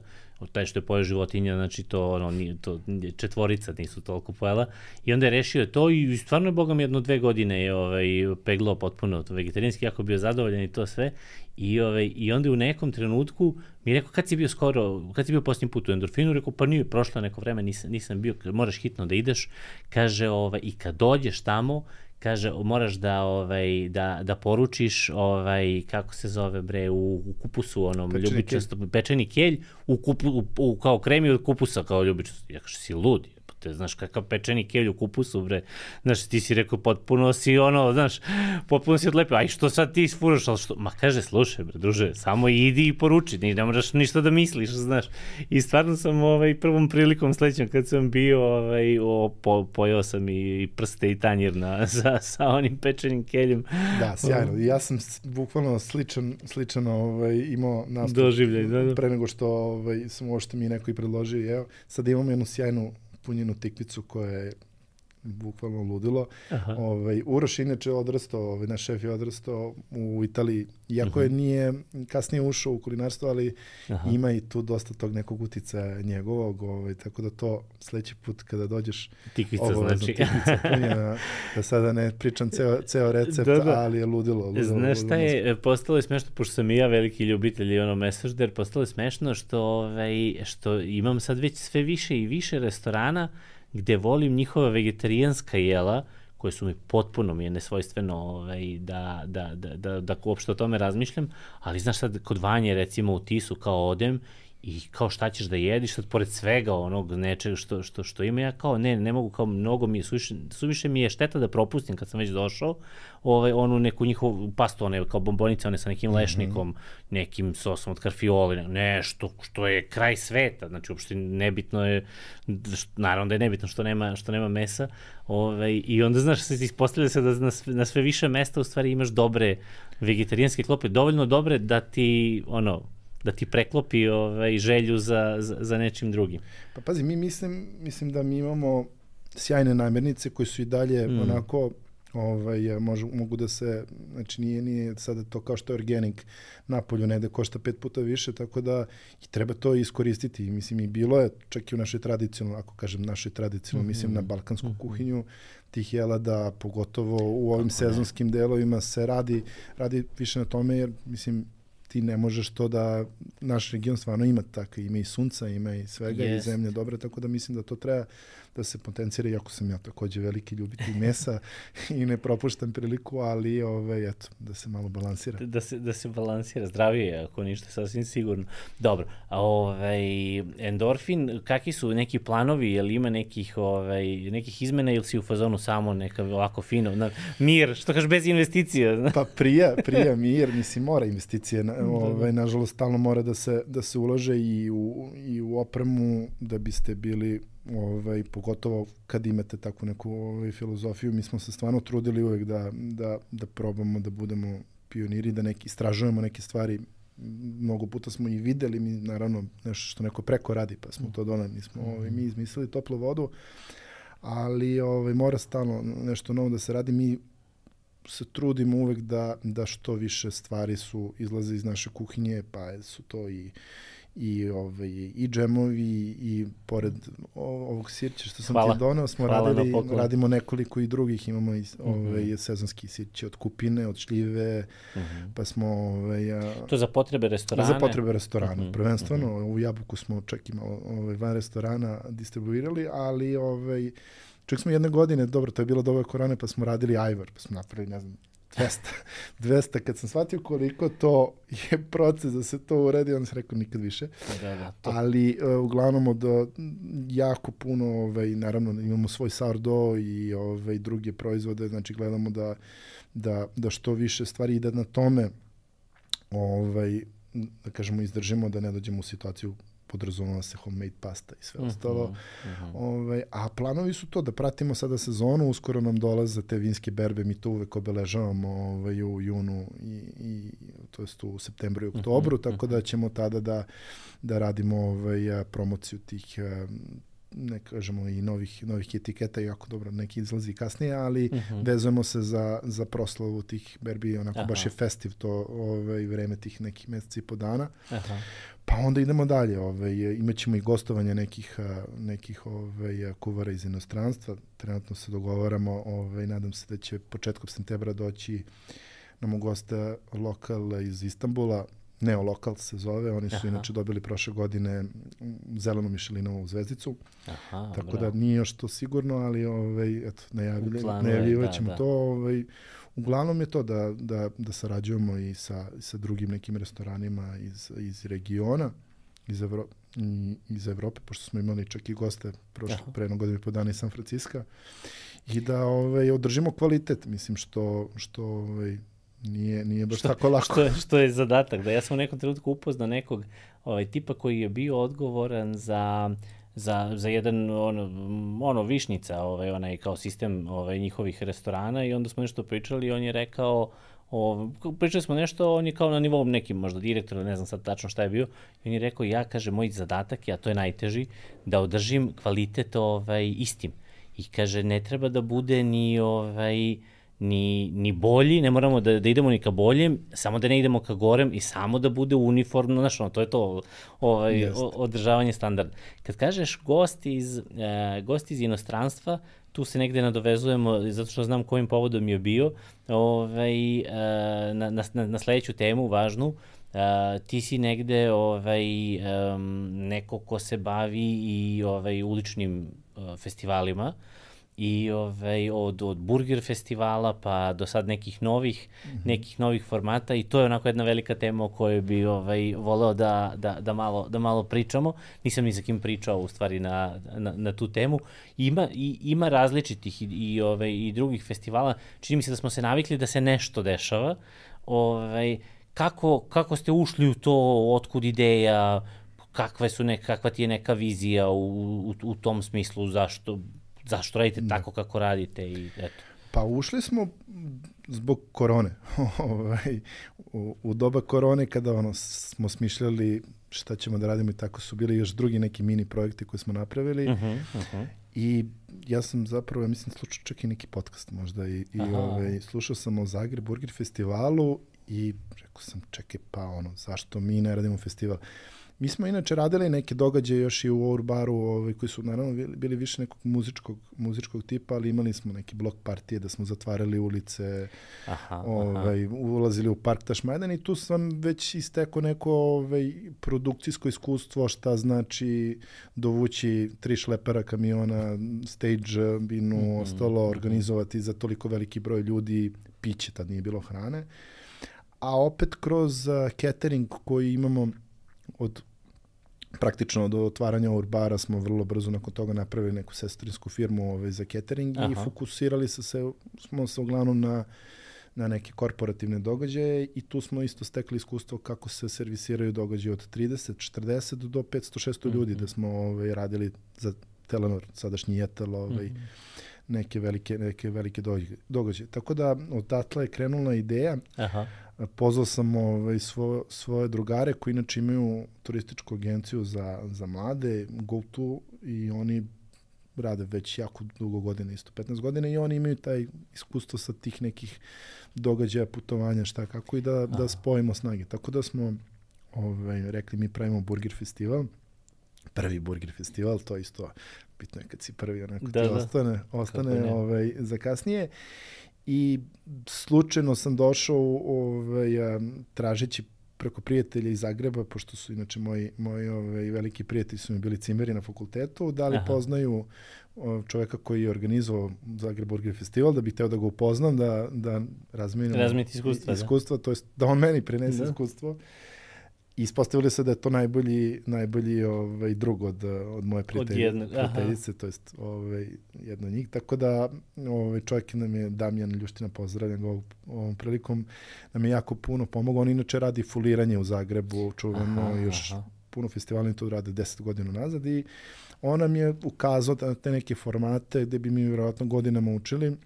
taj što je pojeo životinja, znači to, ono, nije, to četvorica nisu toliko pojela, i onda je rešio to i stvarno je, bogom, jedno dve godine je ovaj, peglao potpuno to vegetarijanski, jako bio zadovoljan i to sve, i, ovaj, i onda u nekom trenutku mi je rekao, kad si bio skoro, kad si bio posljednji put u Endorfinu, rekao, pa nije, prošlo neko vreme, nisam, nisam bio, moraš hitno da ideš, kaže, ovaj, i kad dođeš tamo, kaže, moraš da ovaj da da poručiš ovaj kako se zove bre u, u kupusu onom ljubičasto pečeni kelj u kupu u, u, kao kremi od kupusa kao ljubičasto. Ja kažem, si lud, pa te znaš kakav pečeni kelj u kupusu bre. Znaš, ti si rekao potpuno si ono, znaš, potpuno si odlepio. Aj što sad ti isfuraš, al što? Ma kaže, slušaj bre, druže, samo idi i poruči, ni ne moraš ništa da misliš, znaš. I stvarno sam ovaj prvom prilikom sledećom kad sam bio ovaj o, po, pojeo sam i, i prste i tanjir na sa, sa onim pečenim keljem. Da, sjajno. Ja sam bukvalno sličan sličan ovaj imao nastup doživljaj, da, da. Pre nego što ovaj sam uopšte mi neko i predložio. Evo, sad imamo jednu sjajnu punjenu tikvicu koja je bukvalno ludilo. Ovaj, Uroš inače odrastao, ovaj, naš šef je odrastao u Italiji, iako je nije kasnije ušao u kulinarstvo, ali Aha. ima i tu dosta tog nekog uticaja njegovog, ovaj, tako da to sledeći put kada dođeš tikvica, znači. Tikvica punjena, da sada ne pričam ceo, ceo recept, da, da. ali je ludilo. ludilo Znaš šta je, postalo je smešno, pošto sam i ja veliki ljubitelj i ono mesažder, postalo je smešno što, ovaj, što imam sad već sve više i više restorana gde volim njihova vegetarijanska jela, koje su mi potpuno mi je nesvojstveno ovaj, da, da, da, da, da uopšte o tome razmišljam, ali znaš sad, kod Vanje recimo u Tisu kao odem i kao šta ćeš da jediš, sad pored svega onog nečega što, što, što ima, ja kao ne, ne mogu, kao mnogo mi je, suviše, suviše mi je šteta da propustim kad sam već došao, ovaj, onu neku njihovu pastu, one kao bombonice, one sa nekim mm -hmm. lešnikom, nekim sosom od karfioli, nešto što je kraj sveta, znači uopšte nebitno je, naravno da je nebitno što nema, što nema mesa, ovaj, i onda znaš, se ispostavlja se da na sve, na sve više mesta u stvari imaš dobre vegetarijanske klope, dovoljno dobre da ti, ono, da ti preklopi ovaj, želju za, za, za nečim drugim. Pa pazi, mi mislim, mislim da mi imamo sjajne namirnice koje su i dalje mm. onako, ovaj, možu, mogu da se, znači nije, nije sada to kao što je organik napolju, negde košta pet puta više, tako da i treba to iskoristiti. Mislim, i bilo je, čak i u našoj tradicionalnoj, ako kažem našoj tradicionalnoj, mm -hmm. mislim na balkansku mm -hmm. kuhinju, tih jela da pogotovo u ovim Kako sezonskim ne. delovima se radi, radi više na tome, jer mislim, ti ne možeš to da, naš region stvarno ima tako, ima i sunca, ima i svega yes. i zemlje dobre, tako da mislim da to treba da se potencira, iako sam ja takođe veliki ljubitelj mesa i ne propuštam priliku, ali ove, eto, da se malo balansira. Da se, da se balansira, zdravije, ako ništa, sasvim sigurno. Dobro, a ovaj, endorfin, kakvi su neki planovi, je li ima nekih, ovaj, nekih izmena ili si u fazonu samo neka ovako fino, na, mir, što kažeš, bez investicija? Pa prija, prija mir, mislim, mora investicije, na, ovaj, nažalost, stalno mora da se, da se ulože i u, i u opremu da biste bili ovaj, pogotovo kad imate takvu neku ovaj, filozofiju, mi smo se stvarno trudili uvek da, da, da probamo da budemo pioniri, da neki, istražujemo neke stvari. Mnogo puta smo i videli, mi naravno nešto što neko preko radi, pa smo to donali, nismo ovaj, mi izmislili toplu vodu, ali ovaj, mora stalno nešto novo da se radi. Mi se trudimo uvek da, da što više stvari su izlaze iz naše kuhinje, pa su to i i ovaj i džemovi i pored ovog sirća što sam Hvala. ti doneo smo Hvala radili radimo nekoliko i drugih, imamo i ovaj mm-hmm. sezonski sirće od kupine, od šljive, mm-hmm. pa smo ovaj to za potrebe restorana. Za potrebe restorana, mm-hmm. prvenstveno mm-hmm. u Jabuku smo čak i malo ovaj van restorana distribuirali, ali ovaj čak smo jedne godine, dobro, to je bilo doba korone, pa smo radili ajvar, pa smo napravili, ne znam, dvesta, dvesta, kad sam shvatio koliko to je proces da se to uredi, onda sam rekao nikad više. Da, da, to. Ali uh, uglavnom od uh, jako puno, ovaj, naravno imamo svoj sourdough i ovaj, druge proizvode, znači gledamo da, da, da što više stvari ide na tome, ovaj, da kažemo izdržimo, da ne dođemo u situaciju podrazumeva se homemade pasta i sve uh-huh, ostalo. Uh-huh. Ovaj, a planovi su to da pratimo sada sezonu, uskoro nam dolaze te vinske berbe, mi to uvek obeležavamo ovaj, u junu i, i to jest u septembru i oktobru, uh-huh, tako uh-huh. da ćemo tada da, da radimo ovaj, promociju tih ne kažemo i novih, novih etiketa, jako dobro, neki izlazi kasnije, ali uh-huh. vezujemo se za, za proslavu tih berbi, onako Aha. baš je festiv to ovaj, vreme tih nekih meseci i po dana. Aha. Pa onda idemo dalje, ovaj, imaćemo i gostovanje nekih, nekih ovaj, kuvara iz inostranstva, trenutno se dogovaramo, ovaj, nadam se da će početkom septembra doći nam u gosta lokal iz Istanbula, Neo Lokal se zove, oni su Aha. inače dobili prošle godine zelenu Mišelinovu zvezdicu, Aha, tako bravo. da nije još to sigurno, ali ovaj, eto, najavljivat ćemo da, to. Ovaj, uglavnom je to da, da, da sarađujemo i sa, sa drugim nekim restoranima iz, iz regiona, iz, Evro, iz Evrope, pošto smo imali čak i goste prošle, pre jednog godina i po dana iz San Francisca, i da ovaj, održimo kvalitet, mislim, što, što ovaj, Nije, nije baš što, tako lako. Što je, što je zadatak? Da ja sam u nekom trenutku upoznao nekog ovaj, tipa koji je bio odgovoran za, za, za jedan ono, ono višnjica, ovaj, onaj kao sistem ovaj, njihovih restorana i onda smo nešto pričali i on je rekao, o, pričali smo nešto, on je kao na nivou nekim možda direktor, ne znam sad tačno šta je bio, i on je rekao, ja, kaže, moj zadatak, a to je najteži, da održim kvalitet ovaj, istim. I kaže, ne treba da bude ni ovaj, Ni, ni bolji, ne moramo da, da idemo ni ka boljem, samo da ne idemo ka gorem i samo da bude uniformno, znaš, ono, to je to ovaj, o, održavanje standarda. Kad kažeš gost iz, e, gost iz inostranstva, tu se negde nadovezujemo, zato što znam kojim povodom je bio, ovaj, e, na, na, na sledeću temu, važnu, e, ti si negde ovaj, e, neko ko se bavi i ovaj, uličnim e, festivalima. i ovaj, od, od burger festivala pa do sad nekih novih, mm-hmm. nekih novih formata i to je onako jedna velika tema o kojoj bi ovaj, voleo da, da, da, malo, da malo pričamo. Nisam ni sa kim pričao u stvari na, na, na tu temu. Ima, i, ima različitih i, i, ovaj, i drugih festivala. Čini mi se da smo se navikli da se nešto dešava. Ovaj, kako, kako ste ušli u to, otkud ideja, kakve su neka, kakva ti je neka vizija u, u, u tom smislu, zašto Zašto radite da. tako kako radite? I eto. Pa ušli smo zbog korone. u, u doba korone kada ono, smo smišljali šta ćemo da radimo i tako su bili još drugi neki mini projekti koje smo napravili. Uh-huh, uh-huh. I ja sam zapravo, ja mislim, slušao čak i neki podcast možda i, i ovaj, slušao sam o Zagreb Burger festivalu i rekao sam, čekaj, pa ono, zašto mi ne radimo festival? Mi smo inače radili neke događaje još i u Urbaru, ovaj, koji su naravno bili više nekog muzičkog, muzičkog tipa, ali imali smo neke blok partije da smo zatvarali ulice, aha, ovaj, aha. ulazili u park Tašmajdan i tu sam već istekao neko ovaj, produkcijsko iskustvo, šta znači dovući tri šlepera kamiona, stage binu, mm-hmm, ostalo, mm-hmm. organizovati za toliko veliki broj ljudi, piće, tad nije bilo hrane. A opet kroz uh, catering koji imamo od praktično do otvaranja Urbara smo vrlo brzo nakon toga napravili neku sestrinsku firmu ovaj, za catering. Aha. I fokusirali se, se, smo se uglavnom na, na neke korporativne događaje i tu smo isto stekli iskustvo kako se servisiraju događaje od trideset četrdeset do petsto šesto mm-hmm. ljudi, da smo ovaj, radili za Telenor, sadašnji Jetel, ovaj, mm-hmm. neke velike, neke velike događaje. Tako da odatle je krenula ideja. Aha. Pozvao sam ovaj, svo, svoje drugare koji inače imaju turističku agenciju za, za mlade, GoTo, i oni rade već jako dugo godina, isto petnaest godina, i oni imaju taj iskustvo sa tih nekih događaja, putovanja, šta kako, i da, da spojimo snage. Tako da smo ovaj, rekli, mi pravimo burger festival, prvi burger festival, to isto bitno je kad si prvi, onako da, ti da. ostane, ostane ovaj, za kasnije. I slučajno sam došao ovaj, tražeći preko prijatelja iz Zagreba, pošto su inače moji, moji ovaj, veliki prijatelji su mi bili cimeri na fakultetu, da li Aha. poznaju čoveka koji je organizovao Zagreb Burger Festival, da bih hteo da ga upoznam, da, da razmijenimo iskustva, iskustva da. to jest da on meni prenese da. iskustvo. Ispostavili se da je to najbolji, najbolji ovaj, drug od, od moje prijateljice, to jest ovaj, jedno od njih. Tako da ovaj, čovjek nam je, Damjan Ljuština, pozdravljam ga ovom prilikom, nam je jako puno pomogao. On inače radi fuliranje u Zagrebu, čuveno, još aha. puno festivala to rade deset godina nazad, i on nam je ukazao da te neke formate gde bi mi vjerojatno godinama učili,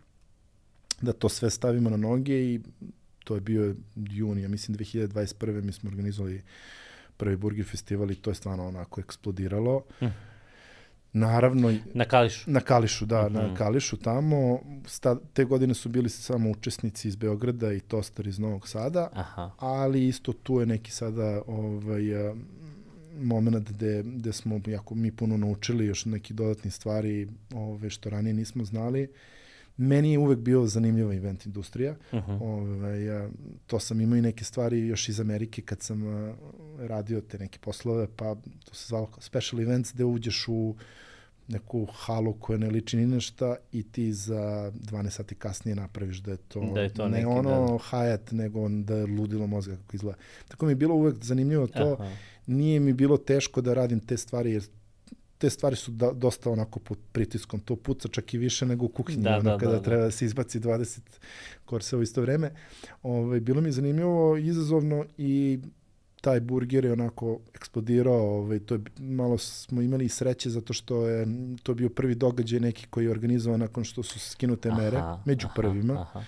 da to sve stavimo na noge, i to je bio juni, ja mislim dve hiljade dvadeset prve mi smo organizovali prvi burger festival i to je stvarno onako eksplodiralo. Hm. Naravno... Na Kališu? Na Kališu, da, mm-hmm. na Kališu tamo. Sta, te godine su bili samo učesnici iz Beograda i Tostar iz Novog Sada, aha. ali isto tu je neki sada ovaj, moment gde, gde smo jako mi puno naučili još neki dodatni stvari ovaj, što ranije nismo znali. Meni je uvek bio zanimljiva event industrija. Uh-huh. Ove, ja, to sam imao i neke stvari još iz Amerike kad sam uh, radio te neke poslove, pa to se zvalo special events, gde uđeš u neku halu koja ne liči ni nešto i ti za dvanaest sati kasnije napraviš da je to, da je to ne neki, ono da. Hyatt, nego da je ludilo mozga kako izgleda. Tako mi je bilo uvek zanimljivo to. Aha. Nije mi bilo teško da radim te stvari, jer te stvari su da, dosta onako pod pritiskom. To puca čak i više nego u kuhinji, da, ono, da, kada da, treba da se izbaci dvadeset korsa u isto vreme. Ove, bilo mi je zanimljivo, izazovno, i taj burger je onako eksplodirao. Ove, to je, malo smo imali i sreće zato što je to bio prvi događaj neki koji je organizovan nakon što su skinute mere, aha, među aha, prvima. Aha.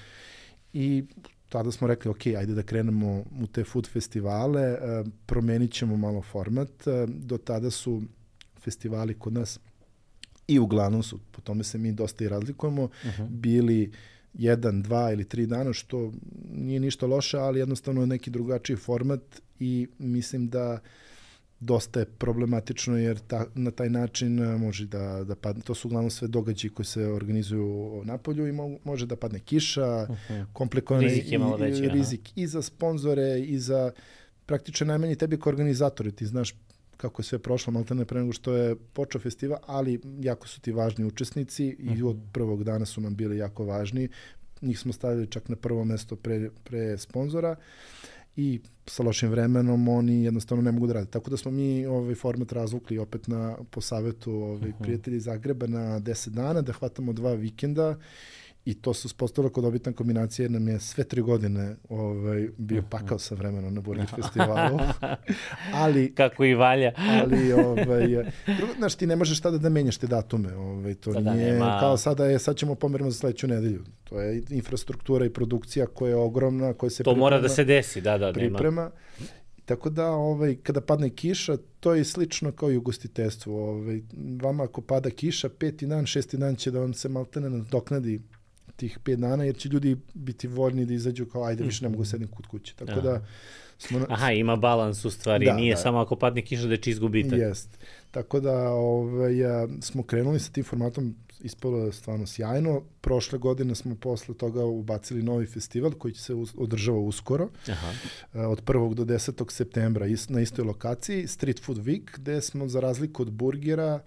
I tada smo rekli, ok, ajde da krenemo u te food festivale, e, promenit ćemo malo format. E, do tada su festivali kod nas, i uglavnom su, po tome se mi dosta i razlikujemo, uh-huh. bili jedan, dva ili tri dana, što nije ništa loše, ali jednostavno je neki drugačiji format, i mislim da dosta je problematično, jer ta, na taj način može da, da padne. To su uglavnom sve događaji koji se organizuju na polju i mo, može da padne kiša, uh-huh. komplikovane rizik, je malo veći, i, rizik i za sponzore i za praktično najmanje tebi kao organizatori. Ti znaš kako je sve prošlo, malo ne pre nego što je počeo festival, ali jako su ti važni učesnici i od prvog dana su nam bili jako važni. Njih smo stavili čak na prvo mesto pre, pre sponzora i sa lošim vremenom oni jednostavno ne mogu da rade. Tako da smo mi ovaj format razvukli opet na, po savetu ovaj, prijatelji iz Zagreba na deset dana, da hvatamo dva vikenda i to se uspostavilo kod obitna kombinacija jer nam je sve tri godine ovaj, bio pakao sa vremenom na Burger festivalu. ali, Kako i valja. ali, ovaj, drugo, znaš, ti ne možeš tada da menjaš te datume. Ovaj, to sada nije, nema... kao sada je, sad ćemo pomerimo za sledeću nedelju. To je infrastruktura i produkcija koja je ogromna, koja se to priprema. mora da se desi, da, da, priprema. nema. Tako da, ovaj, kada padne kiša, to je slično kao i ugostiteljstvu. Ovaj, vama ako pada kiša, peti dan, šesti dan će da vam se maltene nadoknadi tih pet dana, jer će ljudi biti voljni da izađu kao, ajde, više ne mogu sedim kod kuće. Tako Aha. da smo... Aha, ima balans u stvari, da, nije da. Samo ako padne kiša da će izgubiti. Jest. Tako da ovaj, smo krenuli sa tim formatom, ispalo je stvarno sjajno. Prošle godine smo posle toga ubacili novi festival koji će se održava uskoro. Aha. Od prvog do desetog septembra na istoj lokaciji, Street Food Week, gde smo za razliku od burgera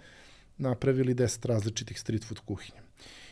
napravili deset različitih street food kuhinja.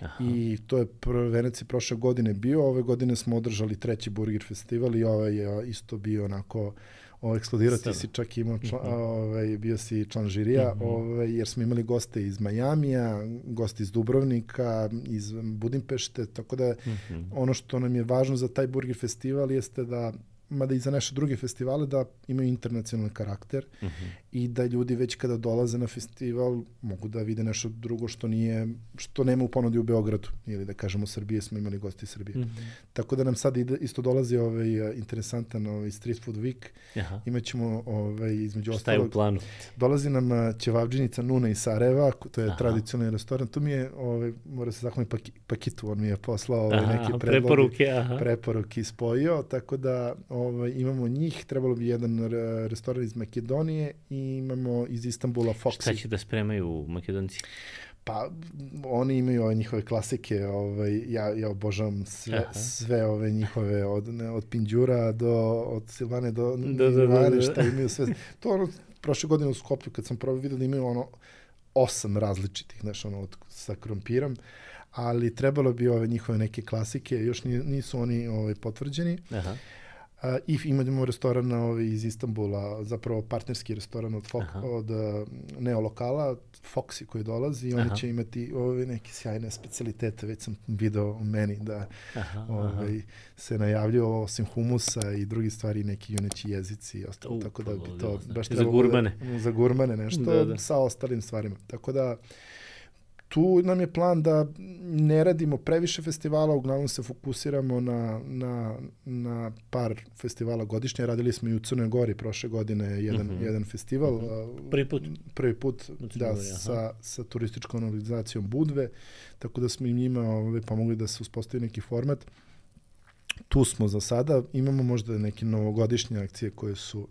Aha. I to je prvenac prošle godine bio, ove godine smo održali treći burger festival i ovaj je isto bio onako o, eksplodirati si čak imao član, uh-huh. ovaj, bio si član žirija, uh-huh. ovaj, jer smo imali goste iz Majamija, goste iz Dubrovnika, iz Budimpešte, tako da uh-huh. ono što nam je važno za taj burger festival jeste da mada i za naše druge festivale, da imaju internacionalni karakter uh-huh. i da ljudi već kada dolaze na festival mogu da vide nešto drugo što nije, što nema u ponudi u Beogradu ili da kažemo u Srbiji, smo imali gosti iz Srbije. Uh-huh. Tako da nam sad ide, isto dolazi ovaj interesantan ovaj Street Food Week. Aha. Imaćemo ovaj između ostalog. Šta je u planu? Dolazi nam ćevabdžinica Nuna iz Sarajeva, to je Aha. tradicionalni restoran. Tu mi je ovaj mora se zahvaliti Paki, Pakitu, on mi je poslao ovaj aha, neke predloge, preporuke, aha. preporuke spojio, tako da ovaj imamo njih, trebalo bi jedan restoran iz Makedonije i imamo iz Istanbula Foxy. Šta će da spremaju Makedonci? Pa oni imaju ove njihove klasike, ovaj ja ja obožavam sve Aha. sve ove njihove od ne, od Pinđura do od Silvane do da, da, da, da. šta imaju sve. To ono prošle godine u Skoplju kad sam probao video da imaju ono osam različitih, znači ono od, sa krompirom, ali trebalo bi ove njihove neke klasike, još nisu oni ovaj potvrđeni. Aha. Uh, I imamo restoran ovaj, iz Istanbula, zapravo partnerski restoran od, Fok, od uh, neolokala, Foxy koji dolazi i oni aha. će imati ove neke sjajne specialitete, već sam video u meni da aha, ovaj, aha. se najavljuju osim humusa i drugi stvari, neki juneći jezici i ostalo, uh, tako da bi to znači, baš trebalo... Za gurmane. Da, za gurmane nešto da, da. sa ostalim stvarima. Tako da tu nam je plan da ne radimo previše festivala, uglavnom se fokusiramo na, na, na par festivala godišnje. Radili smo i u Crnoj Gori prošle godine jedan, uh-huh. jedan festival. Uh-huh. Prvi put? Prvi put, da, Gori, sa, sa turističkom organizacijom Budve, tako da smo i njima ovaj, pomogli da se uspostavi neki format. Tu smo za sada, imamo možda neke novogodišnje akcije koje su,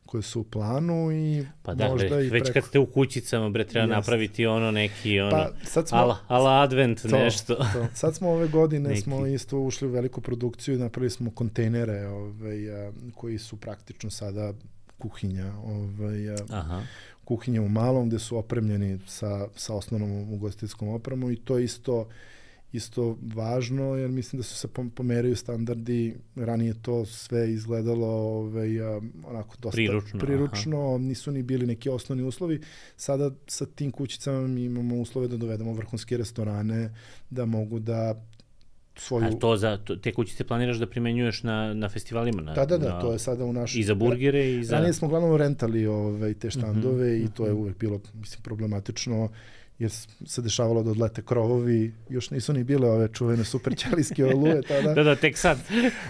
koje su u planu i pa da, možda bre, i već preko... kad ste u kućicama, bre, treba Jest. napraviti ono neki, ono, pa, sad smo, ala, ala advent to, nešto. To. Sad smo ove godine, neki. smo isto ušli u veliku produkciju i napravili smo kontejnere ovaj, a, koji su praktično sada kuhinja, ovaj, a, Aha. kuhinja u malom gde su opremljeni sa, sa osnovnom ugostiteljskom opremom i to isto isto važno, jer mislim da su se pomeraju standardi, ranije to sve izgledalo ovaj, onako dosta priručno, priručno nisu ni bili neki osnovni uslovi. Sada sa tim kućicama mi imamo uslove da dovedemo vrhunske restorane, da mogu da svoju... A to za, to, te kućice planiraš da primenjuješ na, na festivalima? Na, da, da, da, na... to je sada u našoj... I za burgere i za... Ranije smo uglavnom rentali ovaj, te štandove mm-hmm. i to je uvek bilo, mislim, problematično, jer se dešavalo da odlete krovovi, još nisu ni bile ove čuvene super ćelijske oluje tada. da, da, tek sad.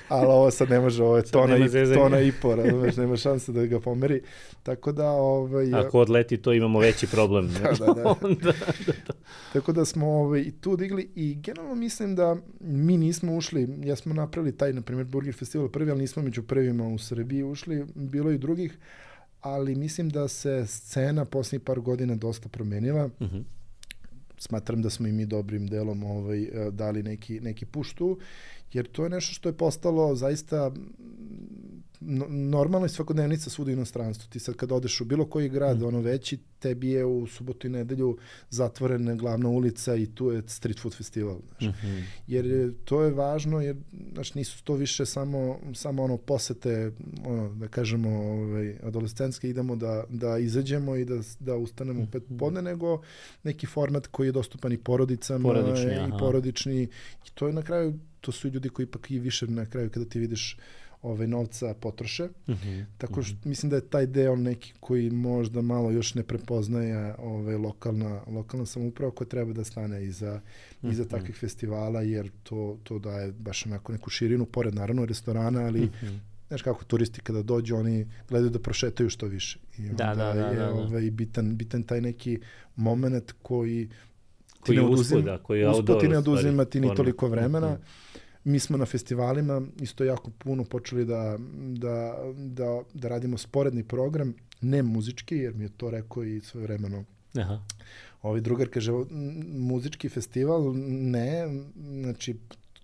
Ali ovo sad ne može, ovo je tona, i, tona i po, razumeš, nema šanse da ga pomeri. Tako da... Ovaj, ako odleti, to imamo veći problem. da, da, da. Onda, da, da. Tako da smo ovaj, tu digli i generalno mislim da mi nismo ušli, ja smo napravili taj, na primjer, Burger Festival prvi, ali nismo među prvima u Srbiji ušli, bilo i drugih, ali mislim da se scena posljednjih par godina dosta promenila. Uh-huh. Smatram da smo i mi dobrim delom ovaj, dali neki, neki push tu, jer to je nešto što je postalo zaista normalno i svakodnevnica svuda u inostranstvu. Ti sad kad odeš u bilo koji grad, mm. ono veći, tebi je u subotu i nedelju zatvorena glavna ulica i tu je street food festival. Znaš. Mm-hmm. Jer to je važno, jer znaš, nisu to više samo, samo ono posete, ono, da kažemo, ovaj, adolescentske, idemo da, da izađemo i da, da ustanemo mm-hmm. u pet podne, nego neki format koji je dostupan i porodicama porodični, i porodični. I to je na kraju, to su ljudi koji ipak i više na kraju kada ti vidiš ove novca potroše. Mm-hmm. Tako što mm-hmm. mislim da je taj deo neki koji možda malo još ne prepoznaje ove lokalna, lokalna samouprava koja treba da stane iza, mm-hmm. iza takvih festivala, jer to, to daje baš onako neku širinu, pored naravno restorana, ali mm-hmm. znaš kako turisti kada dođu, oni gledaju da prošetaju što više. I onda da, da, da, je da, da. Ovaj, bitan, bitan taj neki moment koji koji ti ne oduzima, uspuda, koji je usput ti ne oduzima ti ni toliko vremena. Mm-hmm. Mi smo na festivalima isto jako puno počeli da, da, da, da radimo sporedni program, ne muzički, jer mi je to rekao i svojevremeno. Aha. Ovaj drugar kaže, muzički festival, ne, znači,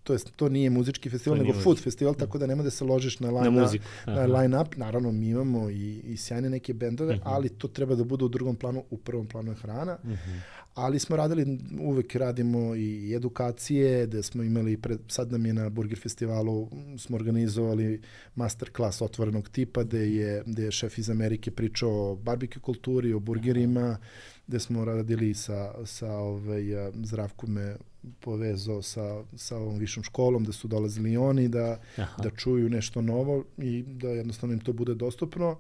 to, jest, to nije muzički festival, to nego food muzički. Festival, tako da nema da se ložiš na line, na na line up. Naravno, mi imamo i, i sjajne neke bendove, uh-huh. ali to treba da bude u drugom planu, u prvom planu je hrana. Uh-huh. Ali smo radili, uvek radimo i edukacije, da smo imali, pred, sad nam je na Burger festivalu, smo organizovali masterclass otvorenog tipa, gde je, gde je šef iz Amerike pričao o barbecue kulturi, o burgerima, gde smo radili sa, sa ovaj, Zdravko me povezao sa, sa ovom višom školom, da su dolazili oni, da, da čuju nešto novo i da jednostavno im to bude dostupno.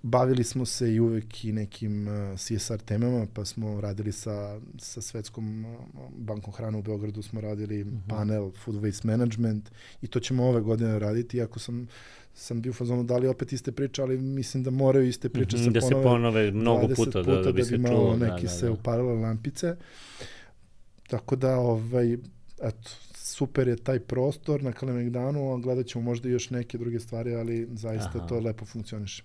Bavili smo se i uvek i nekim uh, C S R temama, pa smo radili sa, sa Svetskom uh, bankom hrane u Beogradu, smo radili uh-huh. panel Food Waste Management i to ćemo ove godine raditi, iako sam, sam bio u fazonu da li opet iste priče, ali mislim da moraju iste priče uh-huh, se ponove, da se ponove mnogo puta, puta da, da, bi da se bi čulo. malo neki da, da, se da. upalile lampice. Tako da, ovaj, eto, super je taj prostor na Kalemegdanu, a gledat ćemo možda još neke druge stvari, ali zaista Aha. to lepo funkcioniše.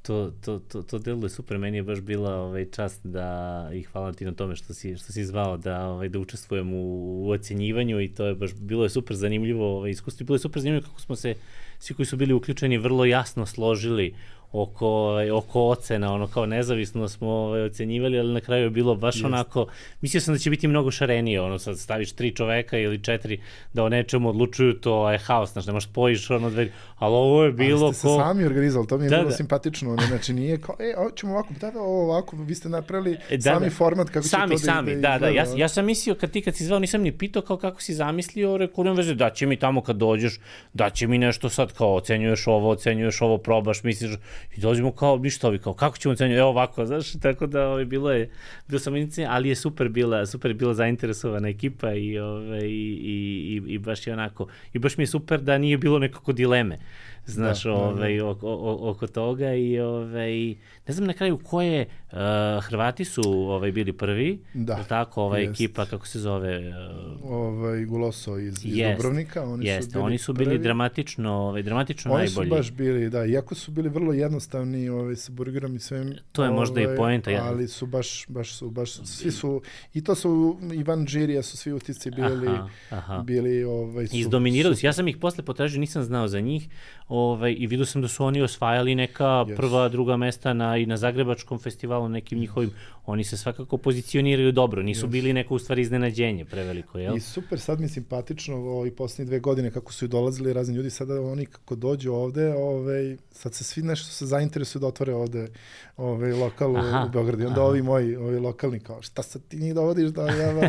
To, to, to, to deluje super, meni je baš bila ovaj, čast da, i hvala ti na tome što si, što si zvao da, ovaj, da učestvujem u, u ocjenjivanju i to je baš, bilo je super zanimljivo ovaj, iskustvo i bilo je super zanimljivo kako smo se, svi koji su bili uključeni, vrlo jasno složili oko, oko ocena, ono kao nezavisno smo ovaj, ocenjivali, ali na kraju je bilo baš Jest. onako, mislio sam da će biti mnogo šarenije, ono sad staviš tri čoveka ili četiri da o nečemu odlučuju, to je haos, znaš, nemaš spojiš ono dve, ali ovo je bilo ko... Ali ste se sami organizovali, to mi je da, bilo da. simpatično, ono, znači nije kao, e, ćemo ovako, da, da, ovo ovako, vi ste napravili da, sami da. format kako sami, će to sami, da, da, da, da, ja, ja sam mislio, kad ti kad si zvao, nisam ni pitao kao kako si zamislio, rekao, nema veze, da će mi tamo kad dođeš, da će mi nešto sad kao ocenjuješ ovo, ocenjuješ ovo, probaš, misliš, i dođemo kao, ništa ovi, kao, kako ćemo ocenjati, evo ovako, znaš, tako da ovaj, bilo je, bilo sam inicijacija, ali je super bila, super je bila zainteresovana ekipa i, ovaj, i, i, i baš je onako, i baš mi je super da nije bilo nekako dileme, znaš, da, ovaj, da, da. Oko, oko, oko toga i, ovaj, ne znam na kraju koje, uh, Hrvati su ovaj, bili prvi, da, tako, ova jest. ekipa, kako se zove? Uh, ovaj, Guloso iz, iz jest, Dubrovnika, oni jest, su bili oni su bili prvi. dramatično, ovaj, dramatično oni najbolji. Oni su baš bili, da, iako su bili vrlo jednostavni ovaj, sa burgerom i svem. To je ovaj, možda i poenta. Ja. Ali su baš, baš su, baš svi su, i to su, Ivan Đirija su svi utisci bili, aha, aha. bili, ovaj, su... Izdominirali su, ja sam ih posle potražio, nisam znao za njih, ovaj, i vidio sam da su oni osvajali neka yes. prva, druga mesta na, i na Zagrebačkom festivalu, nekim yes. njihovim, oni se svakako pozicioniraju dobro, nisu yes. bili neko u stvari iznenađenje preveliko, jel? I super, sad mi simpatično ovo, i poslednje dve godine kako su i dolazili razni ljudi, sada oni kako dođu ovde, ovaj, sad se svi nešto se zainteresuju da otvore ovde ovaj, lokal aha, u Beogradu. I onda aha. ovi moji, ovi lokalni kao, šta sad ti njih dovodiš da java,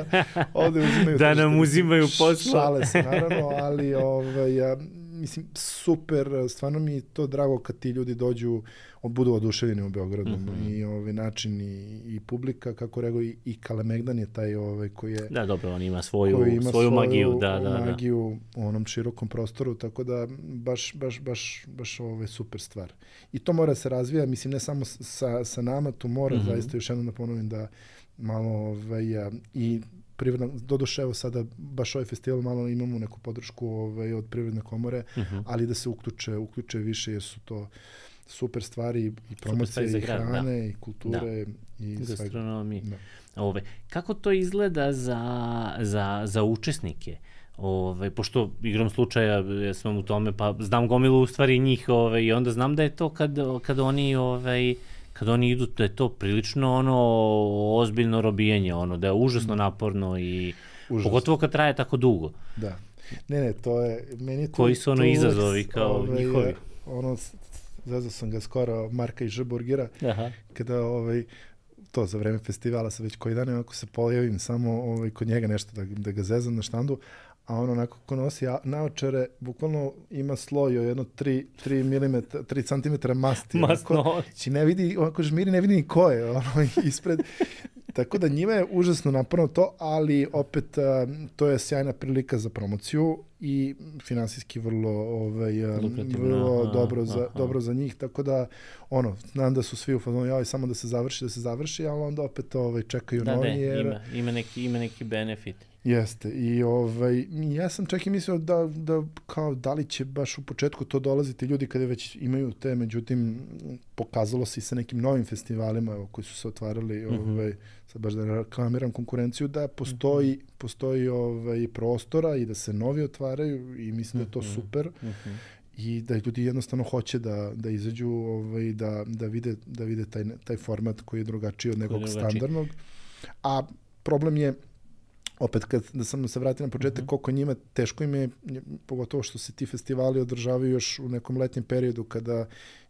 ovde uzimaju... da nam uzimaju posla. Šale se, naravno, ali ovaj, ja, mislim, super, stvarno mi je to drago kad ti ljudi dođu, budu oduševljeni u Beogradu mm-hmm. i ovaj način i, i publika, kako rekao, i, i Kalemegdan je taj ovaj koji je... Da, dobro, on ima svoju, ima svoju magiju, da, da, magiju da. u onom širokom prostoru, tako da baš, baš, baš, baš ovaj super stvar. I to mora se razvija, mislim, ne samo sa, sa nama, tu mora mm-hmm. zaista još jednom da ponovim da malo ovaj, i privredna, doduše evo sada baš ovaj festival malo imamo neku podršku ovaj, od Privredne komore, uh-huh. ali da se uključe, uključe više jer su to super stvari i promocije i hrane da. i kulture da. i gastronomije. Da. Ove, kako to izgleda za, za, za učesnike? Ove, pošto igram slučaja, ja sam u tome, pa znam gomilu u stvari njih ove, i onda znam da je to kad, kad oni ove, kad oni idu, da je to prilično ono ozbiljno robijanje, ono, da je užasno naporno i užasno. Pogotovo kad traje tako dugo. Da. Ne, ne, to je, meni je to... Koji su ono izazovi kao ovaj, njihovi? Ono, zazvao sam ga skoro Marka iz Ž-burgera, Aha. kada ovaj, to za vreme festivala sa već koji dan, ako se pojavim samo ovaj, kod njega nešto da, da ga zezam na štandu, a on onako ko nosi naočare, bukvalno ima sloj od jedno tri milimetra, tri centimetra masti. Masno. Znači ne vidi, onako žmiri, ne vidi ni ko je ono, ispred. Tako da njima je užasno naporno to, ali opet a, to je sjajna prilika za promociju i finansijski vrlo, ovaj, vrlo aha, dobro, za, dobro za njih. Tako da, ono, znam da su svi u fazonu, joj, samo da se završi, da se završi, ali onda opet ovaj, čekaju da, novi. Da, jer... ima, ima, neki, ima neki benefit. Jeste. I ovaj, ja sam čak i mislio da, da kao da li će baš u početku to dolaziti ljudi kada već imaju te, međutim pokazalo se i sa nekim novim festivalima evo, koji su se otvarali, mm-hmm. ovaj, sad baš da reklamiram konkurenciju, da postoji, mm-hmm. postoji ovaj, prostora i da se novi otvaraju i mislim mm-hmm. da je to super. Mm-hmm. I da ljudi jednostavno hoće da, da izađu, ovaj, da, da vide, da vide taj, taj format koji je drugačiji od nekog standardnog. A problem je opet, kad da sam se vratio na početak, uh-huh. koliko njima, teško im je, pogotovo što se ti festivali održavaju još u nekom letnjem periodu kada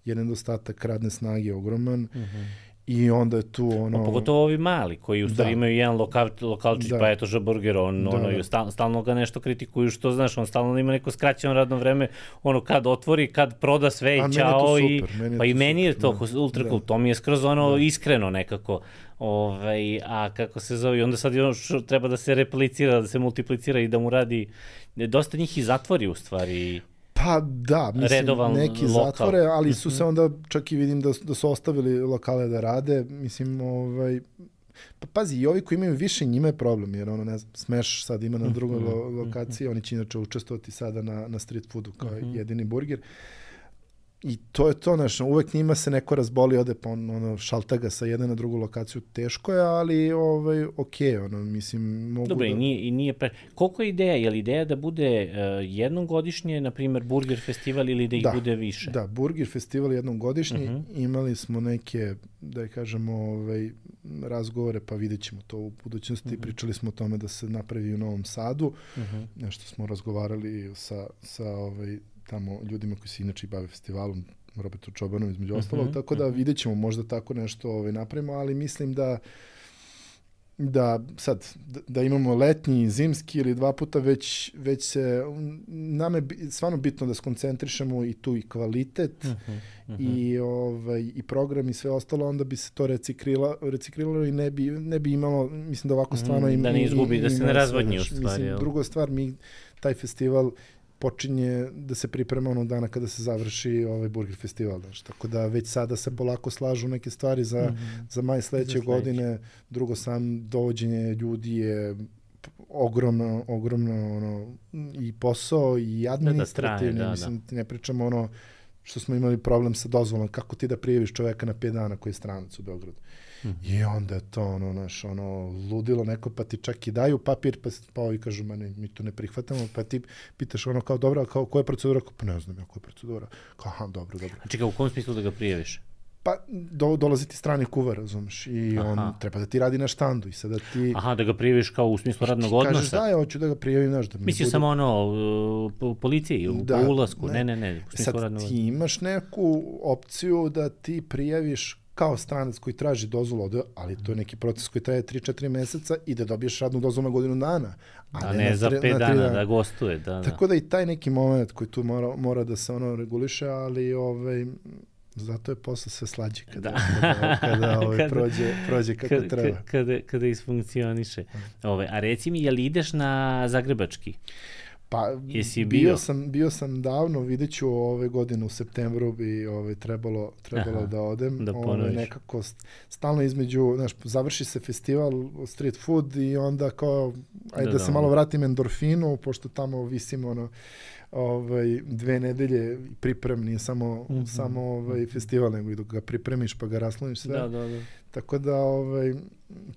je nedostatak radne snage ogroman uh-huh. i onda je tu ono... O, pogotovo ovi mali, koji u stvari da. Imaju jedan lokal, lokalčić, da. Pa eto Ž-burger, on, da, ono, da. Stalno, stalno ga nešto kritikuju, što znaš, on stalno ima neko skraćeno radno vreme, ono, kad otvori, kad proda sve i ćao i... Meni pa i meni je to da. ultra cool, to mi je skroz ono da. Iskreno nekako. Ove, a kako se zove, onda sad još treba da se replicira, da se multiplicira i da mu radi, dosta njih i zatvori u stvari. Pa da, mislim, redovan neki lokal. Zatvore, ali su se onda, čak i vidim da, da su ostavili lokale da rade, mislim, ovaj, pa pazi, i ovi koji imaju više, njima je problem, jer ono, ne znam, Smash sad ima na drugoj lo, lokaciji, oni će inače učestvovati sada na, na street foodu kao uh-huh. jedini burger. I to je to, znaš, uvek njima se neko razboli, ode pa on, ono, šalta ga sa jedne na drugu lokaciju, teško je, ali ovaj, okej, okay, ono, mislim, mogu Dobre, da... i nije, i nije pre... Koliko je ideja? Je li ideja da bude uh, jednom godišnje, na primjer, burger festival ili da ih da, bude više? Da, burger festival jednom godišnje, uh-huh. imali smo neke, da je kažemo, ovaj, razgovore, pa vidjet ćemo to u budućnosti, uh-huh. pričali smo o tome da se napravi u Novom Sadu, uh-huh. nešto smo razgovarali sa, sa ovaj, tamo ljudima koji se inače bave festivalom, Robertu Čobanom između uh-huh, ostalog, tako da uh-huh. vidjet ćemo možda tako nešto ovaj, napravimo, ali mislim da da sad, da, da imamo letnji, zimski ili dva puta, već, već se, nam je stvarno bitno da skoncentrišemo i tu i kvalitet uh-huh, uh-huh. i, ovaj, i program i sve ostalo, onda bi se to reciklilo, reciklilo i ne bi, ne bi imalo, mislim da ovako stvarno ima... Da ne izgubi, da se ne razvodnji u stvari. Mislim, druga stvar, mi taj festival počinje da se priprema onog dana kada se završi ovaj burger festival. Znaš. Tako da već sada se polako slažu neke stvari za, mm-hmm. za maj sledeće godine. Drugo, sam dovođenje ljudi je ogromno, ogromno ono, i posao i administrativni. Da, da, mislim, da. Ne pričamo ono što smo imali problem sa dozvolom, kako ti da prijaviš čoveka na pet dana koji je stranac u Beogradu. Mm-hmm. I onda je to ono, naš, ono, ludilo neko, pa ti čak i daju papir, pa, pa ovi kažu, ma ne, mi to ne prihvatamo, pa ti pitaš ono kao, dobro, kao, koja je procedura? Pa ne znam ja koja je procedura. Kao, aha, dobro, dobro. A čekaj, u kom smislu da ga prijaviš? Pa do, dolazi ti strani kuvar, razumiješ, i aha. on treba da ti radi na štandu i sada ti... Aha, da ga prijaviš kao u smislu radnog odnosa? Kažeš, da, ja hoću da ga prijavim, znaš, da mi Mislio bude... samo ono, u policiji, u da, ulasku, ne, ne, ne, u smislu sad radnog odnosa. Sad ti imaš neku opciju da ti prijaviš kao stranac koji traži dozvolu ovde, ali to je neki proces koji traje tri četiri meseca i da dobiješ radnu dozvolu na godinu dana. A, a ne, ne za pet dana, dana da gostuje. Da, da. Tako da i taj neki moment koji tu mora, mora da se ono reguliše, ali ovaj, zato je posle sve slađe kada, da. kada, kada, ovaj, kada prođe, prođe kako kada, treba. Kada, kada isfunkcioniše. Ove, a reci mi, je li ideš na Zagrebački? Pa bio? bio sam bio sam davno, videću ove godine u septembru bi ovaj trebalo trebalo Aha, da odem, da ovaj nekako stalno između, znaš, završi se festival street food i onda kao ajde da, da, da se malo vratim endorfinu, pošto tamo visimo ono ovaj, dve nedelje priprem, nije samo, mm-hmm. samo ovaj, festival, nego i dok ga pripremiš pa ga rasloniš sve. Da, da, da. Tako da ovaj,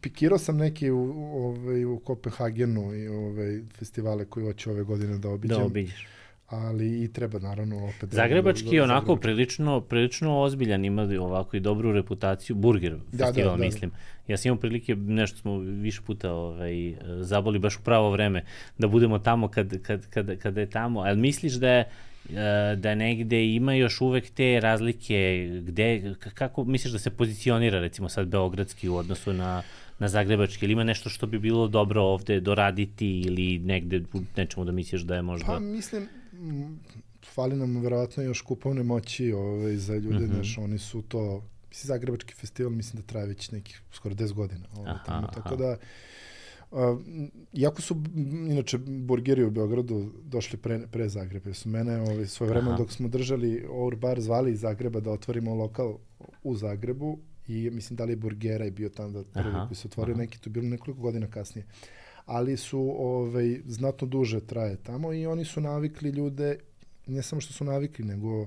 pikirao sam neki u, ovaj, u Kopenhagenu i ovaj, festivale koji hoće ove godine da obiđem. Da obiđeš. Ali i treba naravno opet... Zagrebački je onako Zagrebački. prilično, prilično ozbiljan, ima ovako i dobru reputaciju, Burger festival, da, da, mislim. Da. Ja sam imao prilike, nešto smo više puta ovaj, zaboli baš u pravo vreme, da budemo tamo kad, kad, kad, kad je tamo, ali misliš da je da negde ima još uvek te razlike, gde, kako misliš da se pozicionira recimo sad beogradski u odnosu na, na zagrebački, ili ima nešto što bi bilo dobro ovde doraditi ili negde u nečemu da misliš da je možda... Pa mislim, fali nam verovatno još kupovne moći ovaj, za ljude, mm-hmm. znaš, oni su to, mislim, zagrebački festival mislim da traje već nekih skoro deset godina, ovaj, aha, tamo, tako aha. da Uh, iako su inače burgeri u Beogradu došli pre, pre Zagreba, su mene ovaj, svoje vreme dok smo držali Our Bar zvali iz Zagreba da otvorimo lokal u Zagrebu i mislim da li je Burgera je bio tamo da prvi aha, koji se otvorio, aha. neki to bilo nekoliko godina kasnije, ali su ovaj, znatno duže traje tamo i oni su navikli ljude, ne samo što su navikli, nego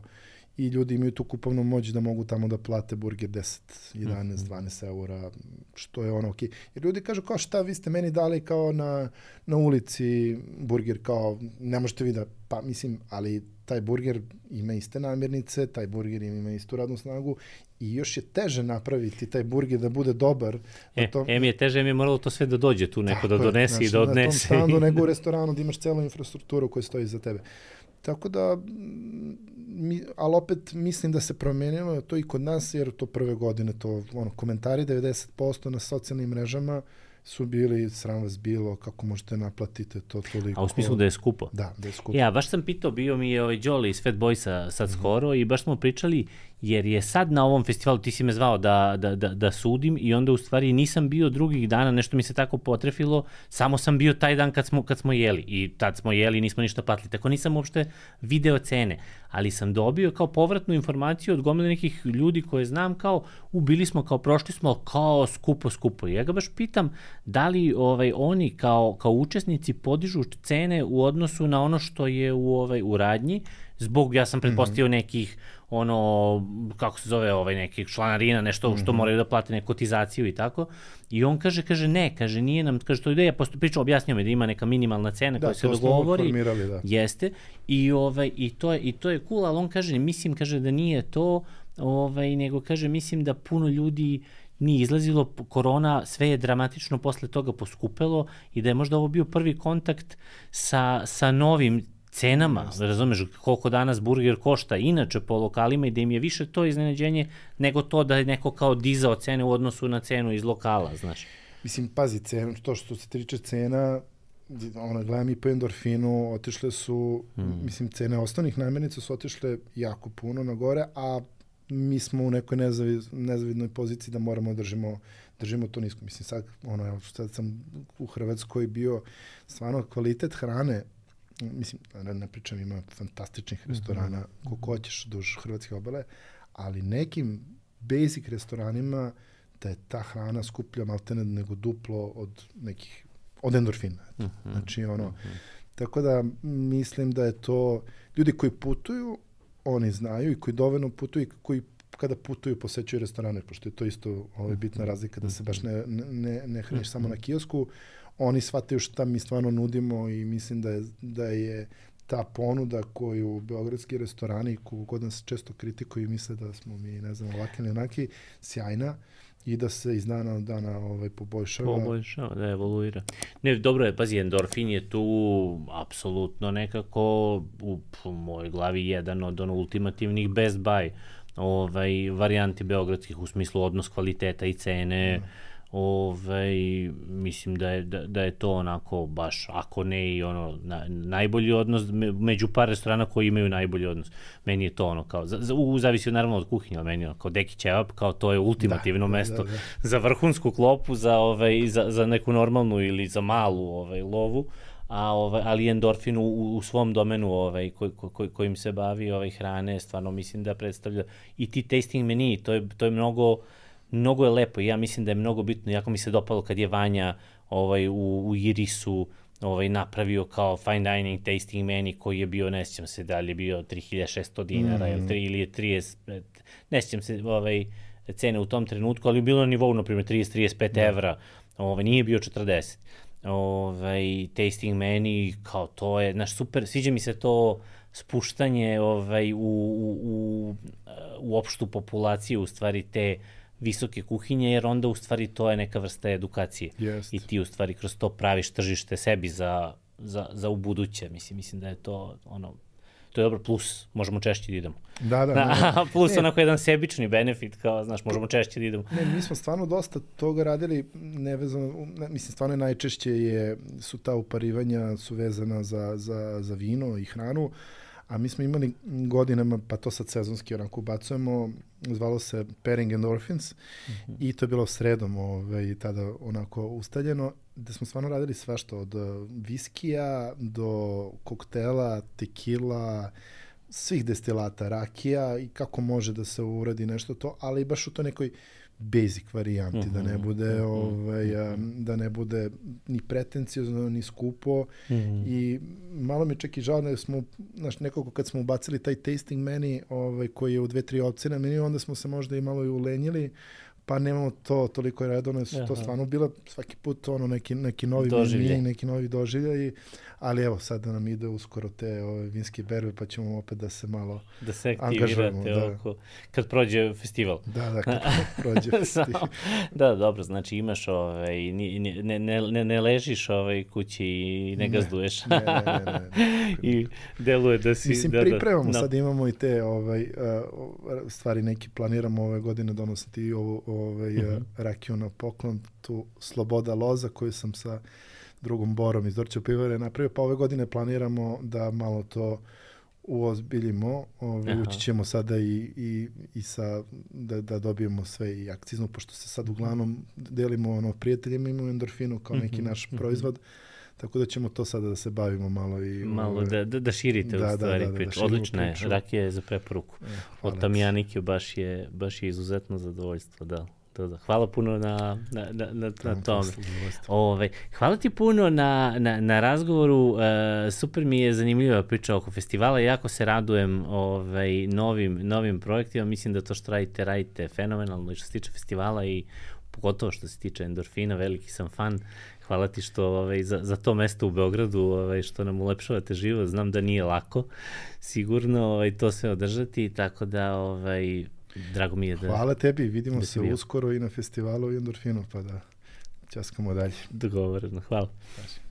i ljudi imaju tu kupovnu moć da mogu tamo da plate burger deset, jedanaest, dvanaest eura, što je ono okej. Jer ljudi kažu kao šta vi ste meni dali kao na, na ulici burger, kao ne možete vi da, pa mislim, ali taj burger ima iste namirnice, taj burger ima istu radnu snagu i još je teže napraviti taj burger da bude dobar. E, tom... em je teže, em je moralo to sve da dođe tu neko da donese znači, i da odnese. Na tom standu, nego u restoranu da imaš celu infrastrukturu koja stoji za tebe. Tako da, mi, ali opet mislim da se promenilo to i kod nas, jer to prve godine, to ono, komentari devedeset posto na socijalnim mrežama su bili, sram vas bilo, kako možete naplatiti to toliko. A u smislu da je skupo? Da, da je skupo. Ja, baš sam pitao, bio mi je ovaj Đoli iz Fat Boysa sad mm-hmm. skoro i baš smo pričali, jer je sad na ovom festivalu, ti si me zvao da, da, da, da sudim i onda u stvari nisam bio drugih dana, nešto mi se tako potrefilo, samo sam bio taj dan kad smo, kad smo jeli i tad smo jeli i nismo ništa platili, tako nisam uopšte video cene, ali sam dobio kao povratnu informaciju od gomile nekih ljudi koje znam kao, u, bili smo kao, prošli smo, kao skupo, skupo. I ja ga baš pitam, da li ovaj, oni kao, kao učesnici podižu cene u odnosu na ono što je u, ovaj, u radnji, zbog, ja sam pretpostavio mm-hmm. nekih, ono, kako se zove, ovaj, nekih članarina, nešto mm-hmm. što moraju da plate neku kotizaciju i tako. I on kaže, kaže, ne, kaže, nije nam, kaže, to ide, ja pričao, objasnio mi da ima neka minimalna cena da, koja se dogovori. Da. Jeste. I, ovaj, i, to je, i to je cool, ali on kaže, mislim, kaže, da nije to, ovaj, nego kaže, mislim da puno ljudi nije izlazilo, korona, sve je dramatično posle toga poskupelo i da je možda ovo bio prvi kontakt sa, sa novim cenama, yes. razumeš, koliko danas burger košta inače po lokalima i da im je više to iznenađenje nego to da je neko kao dizao cene u odnosu na cenu iz lokala, znaš. Mislim, pazi, cenu, to što se tiče cena, ono, gledam i po endorfinu, otišle su, hmm. mislim, cene osnovnih namirnica su otišle jako puno na gore, a mi smo u nekoj nezavid, nezavidnoj poziciji da moramo držimo, držimo to nisko. Mislim, sad, ono, evo, sad sam u Hrvatskoj bio, stvarno, kvalitet hrane, mislim, ne pričam, ima fantastičnih restorana, mm-hmm. koliko hoćeš duž Hrvatske obale, ali nekim basic restoranima da je ta hrana skuplja maltene nego duplo od nekih, od endorfina. Mm-hmm. Znači, ono, mm-hmm. tako da mislim da je to, ljudi koji putuju, oni znaju i koji dovoljno putuju i koji kada putuju posećuju restorane, pošto je to isto ovaj, bitna razlika da se baš ne, ne, ne hraniš mm-hmm. samo na kiosku, oni shvataju šta mi stvarno nudimo i mislim da je, da je ta ponuda koju beogradski restorani, kogod nas često kritikuju i misle da smo mi, ne znam, ovaki ili onaki, sjajna i da se iz dana od dana ovaj, poboljšava. Poboljšava, da evoluira. Ne, dobro je, pazi, endorfin je tu apsolutno nekako u, u mojoj glavi jedan od ono ultimativnih best buy ovaj, varijanti beogradskih u smislu odnos kvaliteta i cene. Mm. Ovaj, mislim da je, da, da je to onako baš, ako ne i ono, na, najbolji odnos među par restorana koji imaju najbolji odnos. Meni je to ono kao, za, za, u zavisi naravno od kuhinje, ali meni ono, kao Deki Ćevap, kao to je ultimativno da, mesto da, da, da. za vrhunsku klopu, za, ovaj, za, za neku normalnu ili za malu ovaj, lovu. A ovaj, ali endorfin u, u svom domenu ovaj koj, koj, kojim se bavi ovaj hrane, stvarno mislim da predstavlja i ti tasting meni, to je to je mnogo mnogo je lepo i ja mislim da je mnogo bitno, jako mi se dopalo kad je Vanja ovaj u, u Irisu ovaj, napravio kao fine dining tasting menu koji je bio, ne sjećam se da li je bio tri hiljade šesto dinara mm. ili, tri, ili je trideset, ne sjećam se ovaj, cene u tom trenutku, ali je bilo na nivou, na primjer, trideset do trideset pet da. evra, ovaj, nije bio četrdeset. Ovaj, tasting menu, kao to je, znaš, super, sviđa mi se to spuštanje ovaj, u, u, u, u opštu populaciju, u stvari te visoke kuhinje, jer onda u stvari to je neka vrsta edukacije. Jest. I ti u stvari kroz to praviš tržište sebi za, za, za u buduće. Mislim, mislim da je to ono, to je dobro, plus možemo češće da idemo. Da, da. Ne, plus ne, onako jedan sebični benefit, kao, znaš, možemo češće da idemo. Ne, mi smo stvarno dosta toga radili, nevezano, ne, mislim, stvarno najčešće je, su ta uparivanja su vezana za, za, za vino i hranu, a mi smo imali godinama, pa to sad sezonski onako ubacujemo, zvalo se Pairing Endorphins mm-hmm. i to je bilo sredom ovaj, tada onako ustaljeno, gde smo stvarno radili svašta od viskija do koktela, tekila, svih destilata, rakija i kako može da se uradi nešto to, ali baš u to nekoj basic varijanti, mm-hmm. da ne bude mm-hmm. ovaj, da ne bude ni pretenciozno, ni skupo mm-hmm. i malo mi čak i žao da smo, znaš, nekako kad smo ubacili taj tasting menu ovaj, koji je u dve, tri opcije na meniju, onda smo se možda i malo i ulenjili, pa nemamo to toliko redovno, su to stvarno bilo svaki put ono neki, neki novi meni, neki novi doživljaj, ali evo sad da nam ide uskoro te ove vinske berbe, pa ćemo opet da se malo da se aktivirate da. Oko, kad prođe festival. Da, da, kad prođe festival. Da, dobro, znači imaš, ovaj, ne, ne, ne, ne ležiš ovaj kući i ne gazduješ. Ne, ne, ne, ne, ne. I deluje da si... Mislim, da, pripremamo, da, sad imamo i te ovaj, stvari neki planiramo ove godine donositi i ovu ovaj, uh-huh. rakiju na poklon, tu Sloboda loza koju sam sa drugom Borom iz Dorćev pivare napravio, pa ove godine planiramo da malo to uozbiljimo, ovaj, ući ćemo sada i, i, i sa, da, da dobijemo sve i akcizno, pošto se sad uglavnom delimo ono, prijateljima, imamo endorfinu kao neki naš uh-huh. proizvod, tako da ćemo to sada da se bavimo malo i... Malo da, da, da širite da, u stvari da, da, priču. Da, odlična je, rakija je za preporuku. E, od Tamijanike baš je, baš je izuzetno zadovoljstvo, da. Da. Hvala puno na, na, na, na, na tome. Ove, hvala ti puno na, na, na razgovoru. E, super mi je zanimljiva priča oko festivala. Jako se radujem ovaj, novim, novim projektima. Mislim da to što radite, radite fenomenalno i što se tiče festivala i pogotovo što se tiče endorfina. Veliki sam fan. Hvala ti što ovaj, za, za to mesto u Beogradu, ovaj, što nam ulepšavate život. Znam da nije lako sigurno ovaj, to sve održati, tako da ovaj, drago mi je da... Hvala tebi, vidimo se bio. Uskoro i na festivalu i endorfinu, pa da ćaskamo dalje. Dogovoreno, hvala.